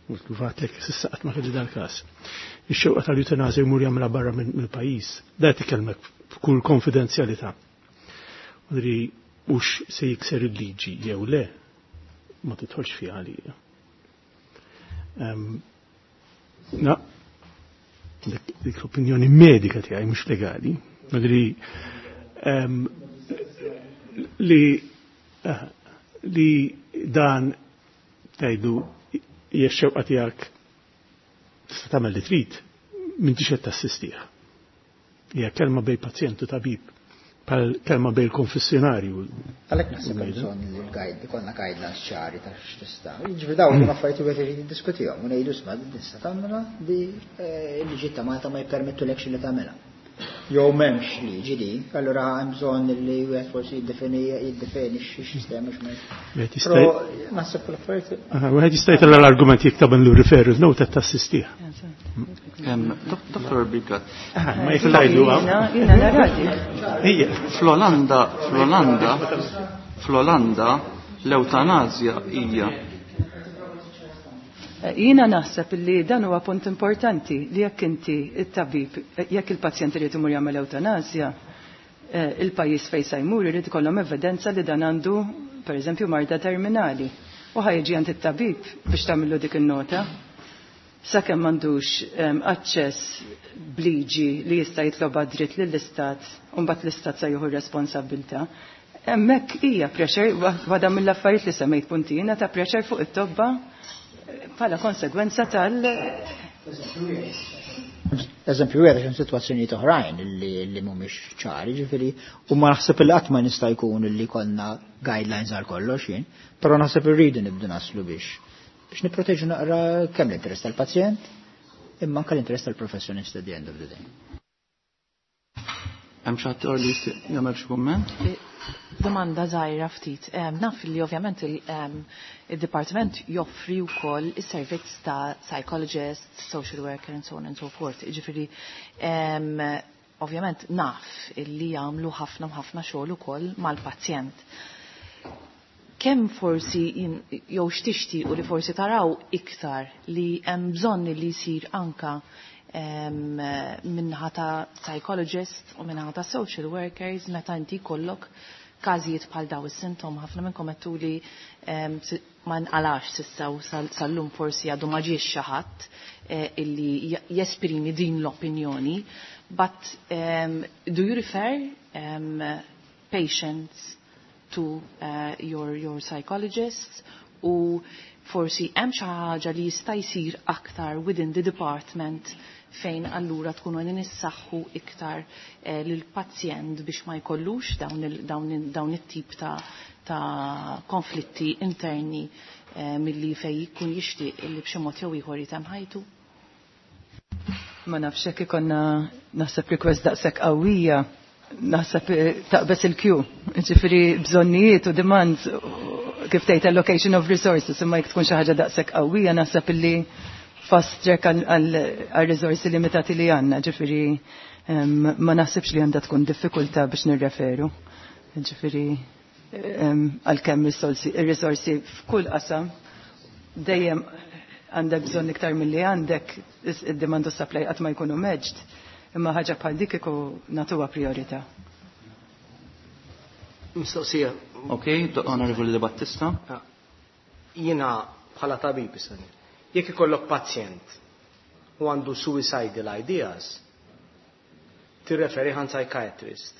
u għatlek s'issa qatt ma kelli dal-każ, ix-xewqa tal-eutanazja jmur jagħmilha barra mill-pajjiż, da tikellmek f'kull konfidenzjalità. Udri hux se jikser il-liġi jew le, ma tidħolx fiha għalija. Na, dik l-opinjoni medika tiegħi, mhux legali, madri li dan tgħidu hija x-xewqa tiegħek, tista' tagħmel li trid, m'intix qed tassistih. Hija kelma bejn pazjent u tabib, bħal kelma bejn konfessjonarju. Għalhekk naħseb hemm bżonn li l-guide, ikollna guidelines ċari ta' x'tista'. Jiġifieri dawn huma affarijiet wieħed irid jiddiskutihom u ngħidu, isma', din tista' tagħmilha, di l-liġi ta' Malta ma jippermettulekx li tagħmilha. Jew m'hemmx liġi di, allura hemm bżonn li wieħed forsi jiddefini x-sistema x'ma. Wieħed jista' Però naħseb l-affarijiet Aha, wieħed jista' jtella' l-argument jekk tagħmel referral note qed tassistih. Dr. Bigat. Ma jekk tgħidu Jiena naradi. Ija. Fl-Olanda, l-eutanazja hija Jiena naħseb li dan huwa punt importanti li jekk inti it-tabib, jekk il-pazjent irid imur jagħmel eutanazja, il-pajjiż fejn se jmur irid ikollhom evidenza li dan għandu pereżempju marda terminali. U ħa jiġi għand it-tabib biex tagħmillu dik in-nota. Sakemm m'għandux aċċess bliġi li jista' jitlob dritt lill-istat, u mbagħad l-istat se jieħu r-responsabbiltà. Hemmhekk hija pressure, waħda mill-affarijiet li semmejt puntina ta' pressure fuq it-tobba bħala konsegwenza tal- Eżempju wieħed hemm sitwazzjonijiet oħrajn li mhumiex ċari, ġifieri, u ma naħseb li qatt ma nista' jkun li konna guidelines għal kollox jien, però naħseb irridu nibdu naslu biex nipproteġu naqra kemm l-interess tal-pazjent imma anke l-interess tal-professjonist at the end of the day. Hemm xi ħadd li jixtieq jagħmel xi kumment? Domanda żgħira ftit. Naf li ovvjament il-dipartiment joffri wkoll is-servizz ta' psychologist, social worker and so on and so forth. Jiġifieri ovvjament naf illi jagħmlu ħafna u ħafna xogħol ukoll mal-pazjent. Kemm forsi jew x'tixtiequ li forsi taraw iktar li hemm bżonn li jsir anka minnaħa ta' psychologist u minnaħa ta' social workers meta inti jkollok każijiet bħal daw is-sintom ħafna minnkom għedtu li ma nqalax s'issa u sal-lum forsi għadu ma ġiex xi ħadd illi jesprimi din l-opinjoni. But do you refer patients to your psychologists u forsi hemm xi ħaġa li jista' jsir aktar within the department fejn allura tkunu qegħdin issaħħu iktar lill-pazjent biex ma jkollux dawn it-tip ta' konflitti interni milli fej jkun jixtieq illi b'xi mod jew ieħor jitem ħajtu? Ma nafx hekk ikonna naħseb request daqshekk qawwija, naħseb taqbes il-queue. Ġifieri bżonnijiet u demands kif tgħid allocation of resources, imma jekk tkun xi ħaġa daqshekk qawwija naħseb illi fast track għal risorsi limitati li għandna, ġifieri ma naħsibx li għandha tkun diffikultà biex nirreferu. Ġifieri għalkemm ir-risorsi f'kull qasam dejjem għandek bżonn iktar milli għandek, id-demand u supply qatt ma jkunu meġd, imma ħaġa bħal dik iku nagħtuha priorità. Mistoqsija. Ok, Onorevoli De Battista. Jiena bħala tabib issa. Jekk ikollok pazjent u għandu suicidal ideas, tirreferi għand psychiatrist.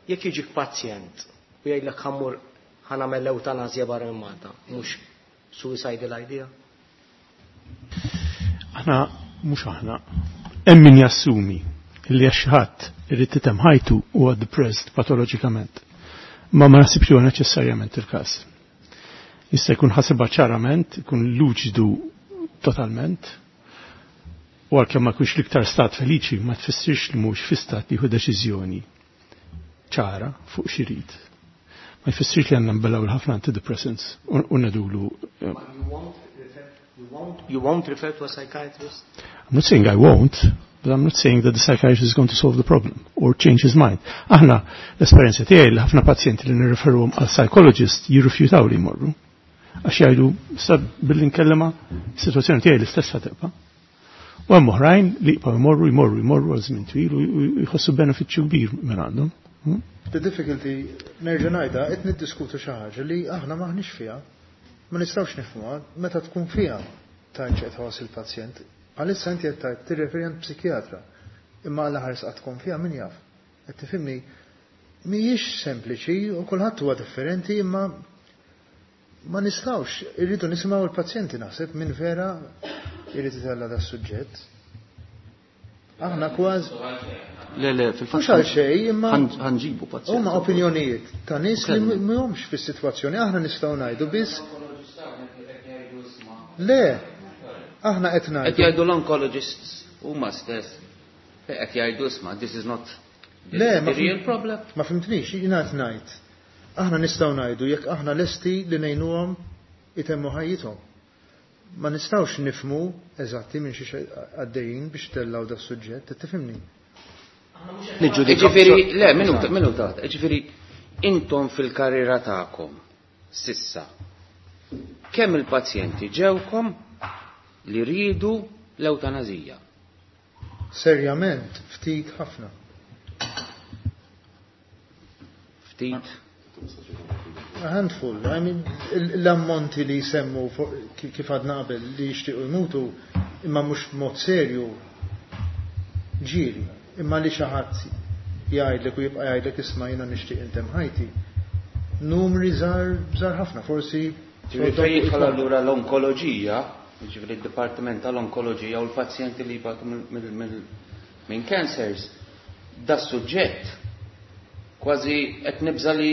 Jekk jiġik pazjent u jgħidlek ħammur ħanamel l-eutanazja barra minn Malta, mhux suicidal idea? Aħna mhux aħna. Hemm min jassumi li għax ħadd irid titem ħajtu huwa depressed patoloġikament. Ma ma naħsibx li huwa neċessarjament il-każ. Jista' jkun ħasibha ċarament, jkun luċidu totalment, u għalkemm ma jkunx l-iktar stat feliċi, ma tfissirx li mhux fi stat li jieħu deċiżjoni ċara fuq xi jrid. Ma jfissirx li għandna nbellaw l-ħafna antidepressants u ngħidulu. You won't refer to a psychiatrist? I'm not saying I won't, but I'm not saying that the psychiatrist is going to solve the problem or change his mind. Aħna l-esperjenza tiegħi li ħafna pazjenti li nirreferuhom għal psychologist jirrifjutaw li jmorru. Għax jgħidu, sa billi nkellema, is-sitwazzjoni tiegħi l-istess tibqa'. U hemm oħrajn li jibqgħu jmorru, jmorru, jmorru għal żmien twil u jħossu benefiċċju kbir minn għandhom. The difficulty, nerġa' ngħidha, qed niddiskutu xi ħaġa li aħna m'aħniex fiha. Ma nistgħux nifhmuha meta tkun fiha tgħid x'qed tħoss il-pazjent. Għalissa inti qed tgħid tirreferi għand psikjatra, imma għal ħares qatt tkun fiha min jaf. Qed tifhimni, mhijiex sempliċi u kulħadd huwa differenti, imma ma nistgħux, irridu nisimgħu l-pazjenti naħseb minn vera irid itella' da suġġett. Aħna kważi Le, le, fil-fatt Mhux għal xejn, imma ħanġibu pazjenti. Huma opinjonijiet ta' nies li mhumx fis-sitwazzjoni, aħna nistgħu ngħidu biss. Le, aħna qed ngħidu. Qed jgħidu l-oncologists huma stess. Qed jgħidu isma' this is not Le, the real problem. Ma fimtnix, jiena qed ngħid. Aħna nistgħu ngħidu jekk aħna lesti li ngħinuhom itemmu ħajjithom. Ma nistgħux nifhmu eżatti minn xi għaddejjin biex tellaw da suġġett, qed tifhimni? Niġġudikaw. Ġifieri, le, minu ta', ġifieri, intom fil-karriera tagħkom sissa, kemm il-pazjenti ġewkom li rridu l-eutanazija? Serjament, ftit ħafna. Ftit? A handful. I mean, l-ammonti li jsemmu kif għadna qabel li jixtiequ jmutu, imma mhux b'mod serju ġieli, imma li xi ħadd jgħidlek u jibqa' jgħidlek isma' jiena nixtieq intemm ħajti. Numri żgħar żgħar ħafna, forsi Ġifieri jidħol allura l-onkoloġija, jiġifieri d-dipartiment tal-onkoloġija u l-pazjenti li jbatu minn cancers, da suġġett kważi qed nibża li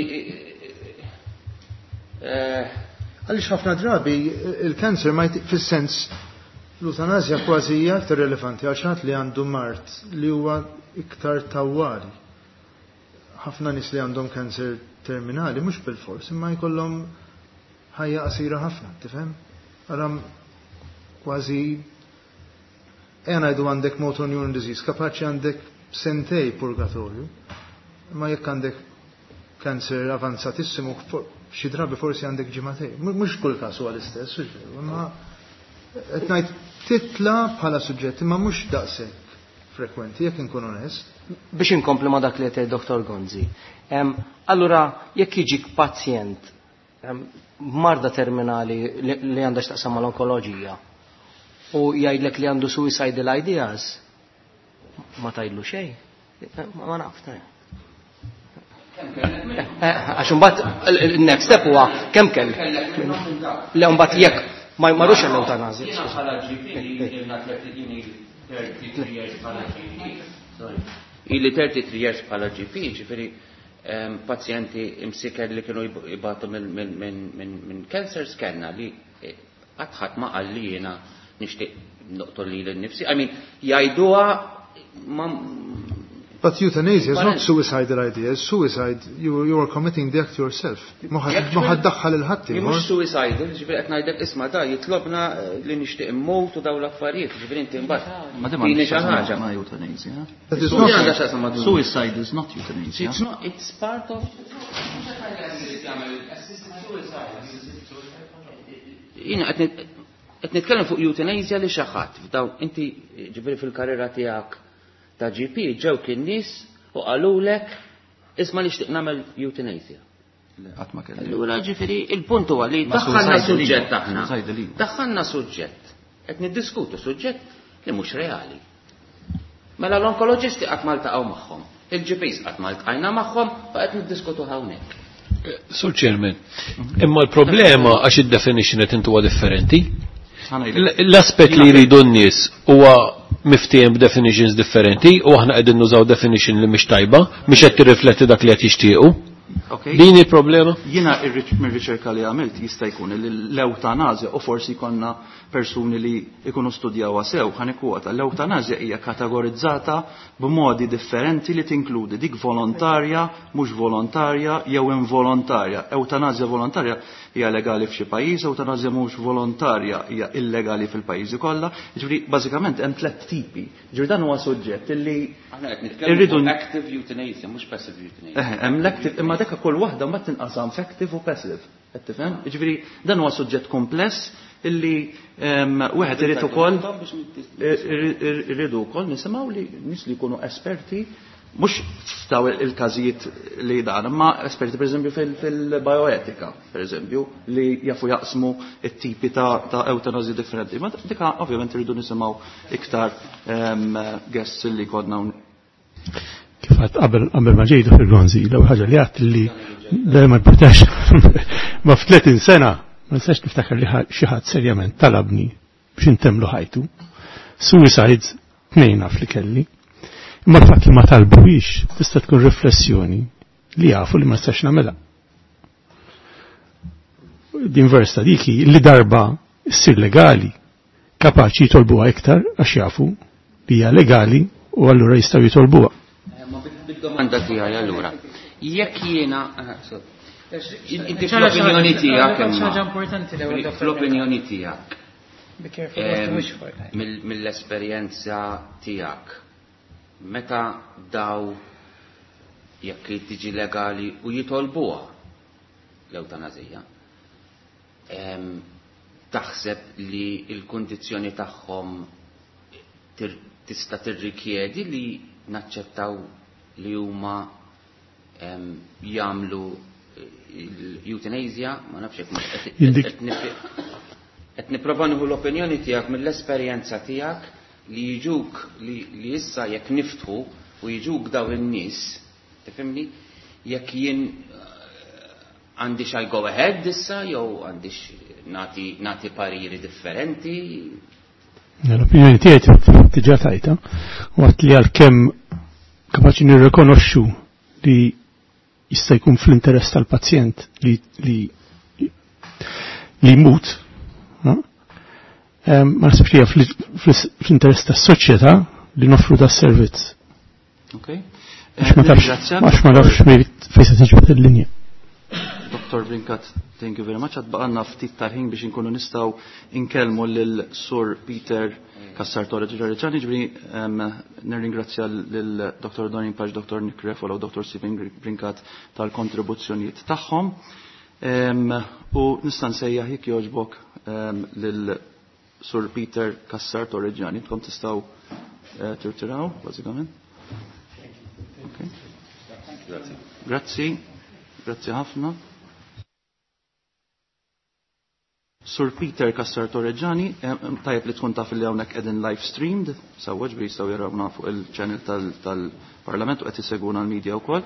Għaliex ħafna drabi il-kanser ma fis-sens l-eutanazja kważi hija aktar relevanti għal xi ħadd li għandu mard li huwa iktar tawwali. Ħafna nies li għandhom kanser terminali mhux bil-fors imma jkollhom ħajja qasira ħafna, tifhem? Ara kważi ejja ngħidu għandek motor neuron disease, kapaċi għandek sentejn purgatorju, imma jekk għandek kanser avanzatissimu, xi drabi forsi għandek ġimagħtejn. Mhux kull każ huwa l-istess, hux veru, imma qed ngħid titla bħala suġġett, imma mhux daqshekk frekwenti, jekk inkun onest. Biex inkompli ma' dak li qed Dr. Gonzi. Allura jekk jiġik pazjent marda terminali li għandha x'taqsam mal-onkoloġija u jgħidlek li għandu suicidal ideas, ma tgħidlu xejn. Ma naf, ta' Għax imbagħad il-next step huwa kemm kell. Le mbagħad jekk ma jmarrux l-eutanazja. Jiena bħala GP ilna 33 years bħala GP. Sorry. Ili 33 years bħala GP, ġifieri pazjenti imsiker li kienu jibatu minn cancers kellna li qatt ma qal li jiena nixtieq noqtol lili nnifsi. I mean, jgħiduha ma But euthanasia is not suicidal ideas. Suicide, you are committing the act yourself. Ma ħa ddaħħal lil ħadd. Mhux suicidal, ġifieri qed ngħidlek isma' da jitlobna li nixtieq immut u dawn l-affarijiet, ġifieri inti mbagħad. Ma Tini xi ħaġa. Ma euthanasia. That is not Suicide is not euthanasia. It's not, it's part of. Jiena qed nitkellem fuq euthanasia li xi ħadd f'dawn inti ġifieri fil-karriera tiegħek ta' GP ġew kien nies u qalulek isma' nixtieq nagħmel euthanasia. Qatt ma kelli. Allura ġifieri il-punt huwa li Ma daħħalna suicide suġġett iva, aħna. suicide iva. Daħħalna suġġett. Qed niddiskutu suġġett li mhux reali. Mela l-onkoloġisti qatt ma ltaqgħu magħhom, il-GPs qatt ma ltqajna magħhom u qed niddiskutu hawnhekk. Sur Chairman, imma l-problema għax id-definition qed intuwa differenti. L-aspett li jridu n-nies huwa miftiem b'definitions differenti u aħna qegħdin nużaw definition li mhix tajba, mhix qed tirrifletti dak li qed jixtiequ. Okay. Din il-problema? Jiena mir-riċerka li għamilt jista' jkun li l-eutanazja u forsi jkollna persuni li jkunu studjawha sew ħa nikkwota. L-eutanazja hija kategorizzata b'modi differenti li tinkludi dik volontarja, mhux volontarja jew involontarja. Eutanazja volontarja hija legali f'xi pajjiż, eutanazja mhux volontarja hija illegali fil-pajjiżi kollha. Jiġifieri bażikament hemm tliet tipi. Jiġifieri dan huwa suġġett illi Aħna qed nitkellmu irridu fuq active euthanasia, mhux passive euthanasia. Eħe, hemm l-active, imma dik kull waħda mbagħad tinqasam f'active u passive. Qed tifhem? Jiġifieri dan huwa suġġett kompless illi wieħed irid ukoll irridu wkoll nisimgħu li nies li jkunu esperti mhux f'daw il-każijiet li dan, imma esperti pereżempju fil-bioetika, pereżempju, li jafu jaqsmu it-tipi ta' eutanazji differenti. Ma dika ovvjament irridu nisimgħu iktar guests li kodna hawnhekk. Kif għadt qabel ma ġejtu fil-Gonzi, l-ewwel ħaġa li għadt li le ma jportax ma f'30 sena ma nistax niftakar li xi ħadd serjament talabni biex intemlu ħajtu. Suicides tnejn naf li kelli. Imma l-fatt li ma talbuhiex tista' tkun riflessjoni li jafu li ma nistax nagħmilha. Din versa diki li darba ssir legali kapaċi jitolbuha iktar għax jafu li hija legali u allura jistgħu jitolbuha. Ma bid-domanda tiegħi allura. Jekk jiena inti fl-opinjoni tiegħek imma. Ħaġa importanti l-ewwel, Dr. Fl-opinjoni tiegħek. Be careful what you wish for. Mill-esperjenza tiegħek. Meta daw jekk tiġi legali u jitolbuha l-eutanazija, taħseb li l-kundizzjoni tagħhom tista' tirrikjedi li naċċettaw li huma jagħmlu l-euthanasia, ma nafx jekk mhux qed nipprova nieħu l-opinjoni tiegħek mill-esperjenza tiegħek li jiġuk li issa jekk niftħu u jiġuk daw in-nies Tifhimni? Jekk jien għandix I go ahead issa jew għandix nagħti pariri differenti. L-opinjoni tiegħi diġà tajta waqt li għalkemm kapaċi nirrikonoxxu li jista' jkun fl-interess tal-pazjent li li li jmut, ma naħsibx li hija fl-interess tas-soċjetà li noffru da servizz. Okay. Għax ma tafx, għax ma tafx fejn se tiġbed il-linja. Dr. Brincat, thank you very much. Għad baqanna ftit tal-ħin biex inkunu nistgħu inkellmu lil Sur Peter Cassar Torregiani, ġifieri nirringrazzja lil Dr. Doreen Pace, Dr. Nick Refalo u Dr. Stephen Brincat tal-kontribuzzjonijiet tagħhom. U nista' nsejjaħ jekk jogħġbok lil Sur Peter Cassar Torregiani. Tkom tistgħu tirtiraw, bażikament. Okay. Grazzi. Grazzi ħafna. Sur Peter Cassar Torregiani, tajjeb li tkun taf li hawnhekk qegħdin live streamed, sewwa ġifieri jistgħu jarawna fuq il-channel tal-Parlament u qed isegwuna l-media wkoll.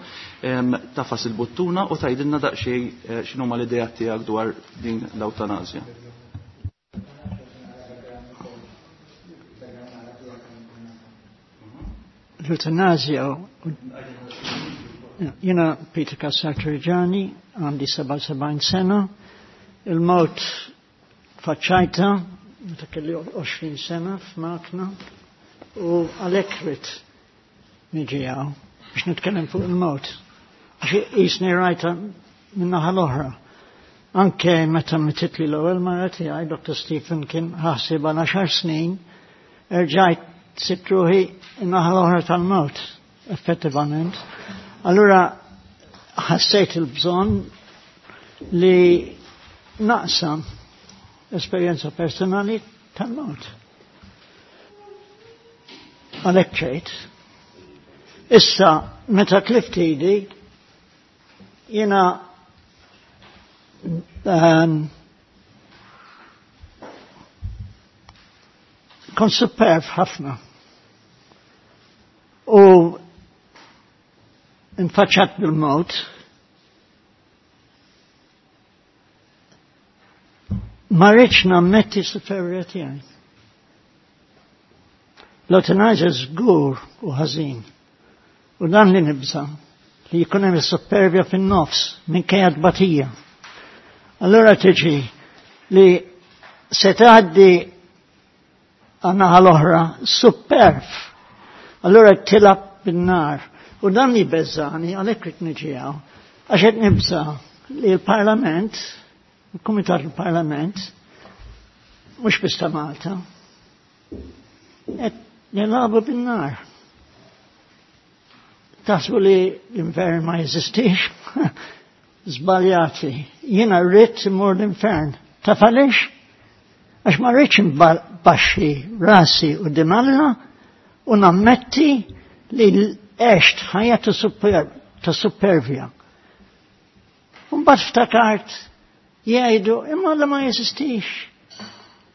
Tafas il-buttuna u tgħidilna daqsxejn x'inhuma l-idejat tiegħek dwar din l-ewtanasja. L-eutanasja, jiena Peter Cassar Torregiani, għandi 77 sena, il-mewt faċċajta, meta kelli 20 sena f'makna, u għalhekk ridt niġi hawn biex nitkellem fuq il-mewt. Għax qisni rajta min-naħa l-oħra. Anke meta mititli l-ewwel mara tiegħi, Dr. Stephen kien ħasib għal 10 snin, erġajt sibt ruħi n-naħa l-oħra tal-mewt, effettivament. Allura ħassejt il-bżonn li naqsam esperjenza personali tal-mewt. Għalhekk ġejt. Issa, meta tlift idi, jiena kont superb ħafna. U infaċċat bil-mewt, ma rridx nammetti superjorja tiegħi. L-eutanasja żgur u ħażin. U dan li nibża' li jkun hemm is-superbja fin-nofs minkejja tbatija. Allura tiġi li se tgħaddi għan-naħa l-oħra superb. Allura tilgħab bin-nar. U dan li beżani għalhekk rid niġi hawn. Għax qed nibża' li l-Parlament, il-Kumitat il-Parlament, mhux biss ta' Malta, qed nilagħbu bin-nar. Taħsbu li l-infern ma jeżistix? Żbaljati. Jiena rrid immur l-infern. Taf għaliex? Għax ma rridx nbaxxi rasi quddiem Alla u nammetti li għext ħajja ta' supervja. U mbagħad ftakart jgħidu imma Alla ma jeżistix.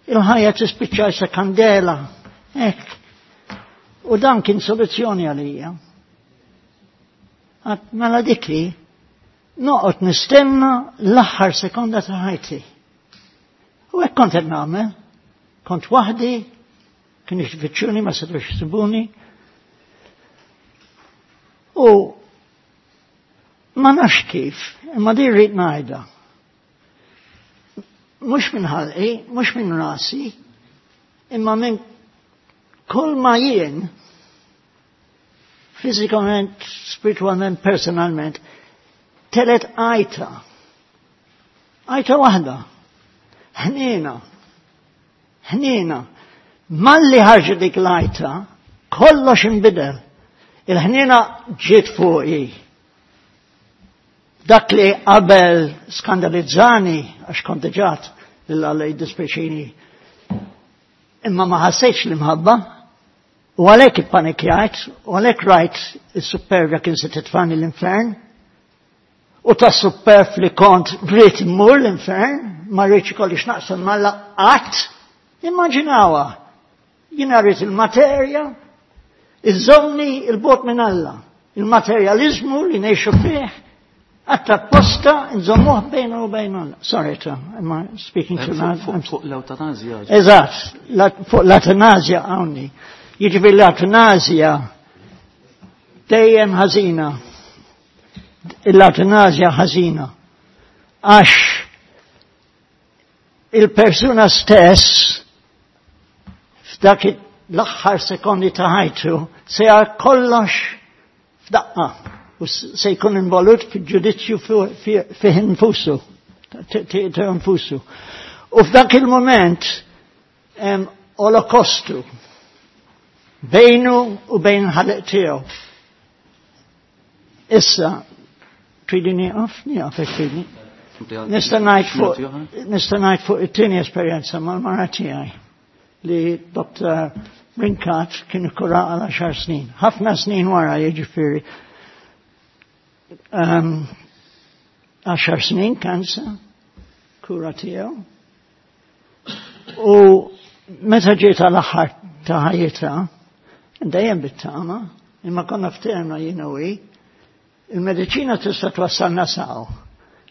Il-ħajja tispiċċa sa kandela. Hekk. U dan kien soluzzjoni għalija. Għat mela dikli, noqgħod nistenna l-aħħar sekonda ta' ħajti. U hekk kont qed nagħmel. Kont waħdi, kien ifittxuni ma setgħux jsibuni. U ma nafx kif, imma din rrid ngħidha. Mhux minn ħalqi, mhux minn rasi, imma minn kull ma jien, fiżikament, spiritualment, personalment, telet għajta. Għajta waħda. Ħniena. Ħniena. Malli ħarġet dik l-għajta, kollox inbidel. Il-ħniena ġiet fuqi. Dak li qabel skandalizzani, għax kont diġà lil Alla jiddispjaċini, imma ma ħassejtx l-imħabba, u għalhekk ippanikjajt, u għalhekk rajt is-supervja kien se titfani l-infern, u ta' superf li kont rrid immur l-infern, ma rridx ikolli x'naqsam m'Alla qatt, immaġinawha. Jiena rrid il-materja, iżomni il-bot minn Alla. Il-materjalizmu li ngħixu fih għatta posta nżommuh bejna u bejn Alla. Sorry, Tom, am I speaking too loud? Fuq l-eutanazja. Eżatt, fuq l-eutanazja hawnni. Jiġifieri l-eutanazja dejjem ħażina. L-eutanazja ħażina. Għax il-persuna stess f'dak l-aħħar sekondi ta' ħajtu se jar kollox f'daqqa u se jkun involut fil-ġudizzju fih infusu, tiegħu infusu. U f'dak il-moment hemm olokostu bejnu u bejn ħaleq tiegħu. Issa, tridi nieqaf? Nieqaf jekk tridni. Nista' ngħid fuq nista' ngħid fuq it-tieni esperjenza mal-mara tiegħi li Dr. Brincat kien ikkura għal 10 snin. Ħafna snin wara jiġifieri. 10 snin kansa, kura tiegħu. U meta ġiet għal aħħar ta' ħajjitha, dejjem bit-tama, imma konna ftehemna jiena u hi, il-mediċina tista' twassalna saw.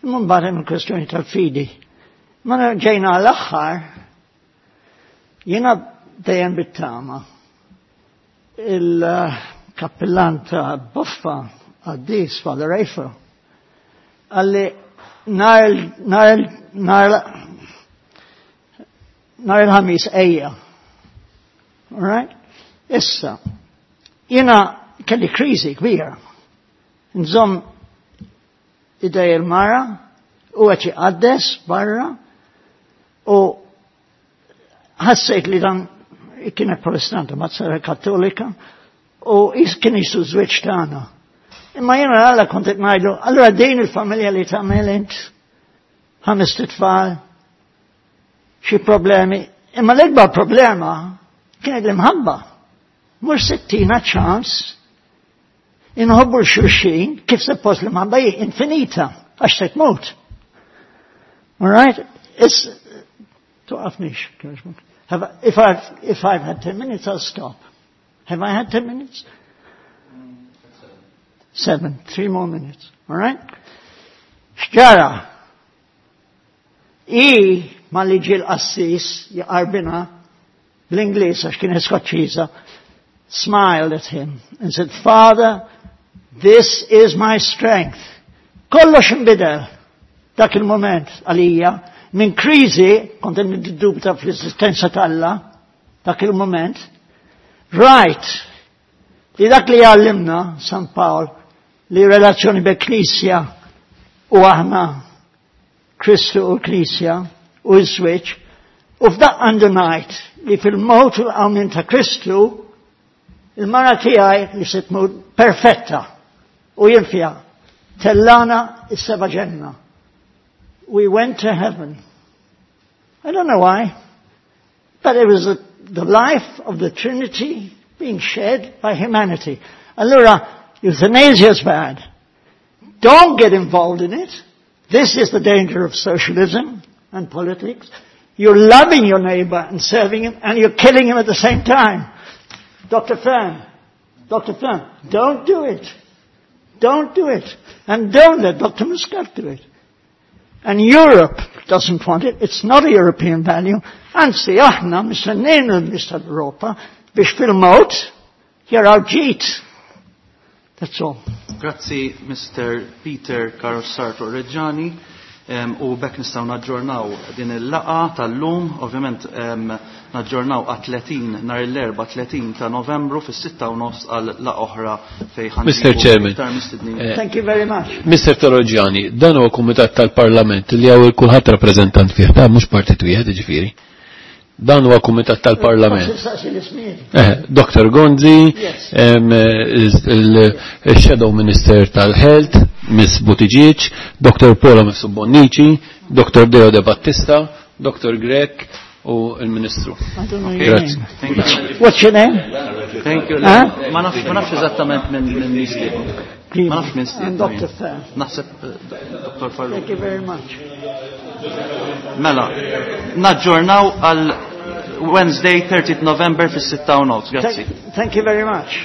Imma mbagħad hemm il-kwestjoni tal-fidi. Ma ġejna għall-aħħar, jiena dejjem bit-tama. Il-kappillan ta' Boffa, għaddis, Father Eiffel, għalli nar il-ħamis ejja. All right? Issa, jiena kelli kriżi kbira. Nżomm idej il-mara u qed jqaddes barra u ħassejt li dan kienet protestanta ma sara kattolika u kien jisu żwieġ tagħna. Imma jiena għalla kont qed ngħidlu, allura din il-familja li tagħmel int ħames tfal, xi problemi. Imma l-ikbar problema kienet l-imħabba. Mhux sittina ċans inħobbu l-xulxin kif suppost l-imħabba hi infinita għax se tmut. All right? It's, toqafnix. Have, if I've had 10 minutes, I'll stop. Have I had 10 minutes? 7. 3 more minutes. All right? X'ġara? I ma li ġie l-qassis jaqarbina bl-Ingliż għax kien Skoċċiża, smiled at him and said, Father, this is my strength. Kollox inbidel dak il-moment għalija minn kriżi, kont niddubita fl-esistenza t'Alla, dak il-moment, right, li dak li għallimna San Pawl li relazzjoni be Knisja u aħna Kristu u Knisja u l-switch, u f'daq għandu ngħid li fil-mewt u l-qawmien ta' Kristu il-mara tiegħi li se tmut perfetta u jien fiha tellana is-seba' ġenna. We went to heaven. I don't know why, but it was the life of the Trinity being shared by humanity. Allura, euthanasia is bad. Don't get involved in it. This is the danger of socialism and politics. You're loving your neighbor and serving him, and you're killing him at the same time. Dr. Fearn, Dr. Fearn, don't do it. Don't do it. And don't let Dr. Muscat do it. And Europe doesn't want it. It's not a European value. Anzi, aħna mistennejn l-nies tal-Europa biex fil-mewt jaraw ġid. That's all. Grazzi, Mr. Peter Carlos Sartor Reggiani. U bekk nistgħu naġġornaw din il-laqa tal-lum, ovvjament naġġornaw għat 30 nhar l-Erbgħa 30 ta' Novembru fis-6:30 għal laqa oħra fejn ħa Mr. Chairman. iktar mistednin. Thank you very much. Mr. Torreggiani, dan huwa kumitat tal-Parlament li hawn kulħadd rappreżentant fih, ta' mhux partit wieħed jiġifieri. Dan huwa kumitat tal-Parlament. Dr. Gonzi, il-Shadow Minister tal-Health, Miss Buttigieg, Dr. Paula Mifsud Bonnici, Dr. Deo De Battista, Dr. Grech u il-Ministru. I don't know your Grazie. name. Thank you. What's your name? Thank you. Huh? Ma nafx, ma nafx eżattament minn mistieden. Ma nafx minn I'm Dr. Fearn. Naħseb Dr. Farrugia. Thank you very much. Mela, naġġornaw għal Wednesday 30 November fis-6:30. Grazzi. Thank you very much.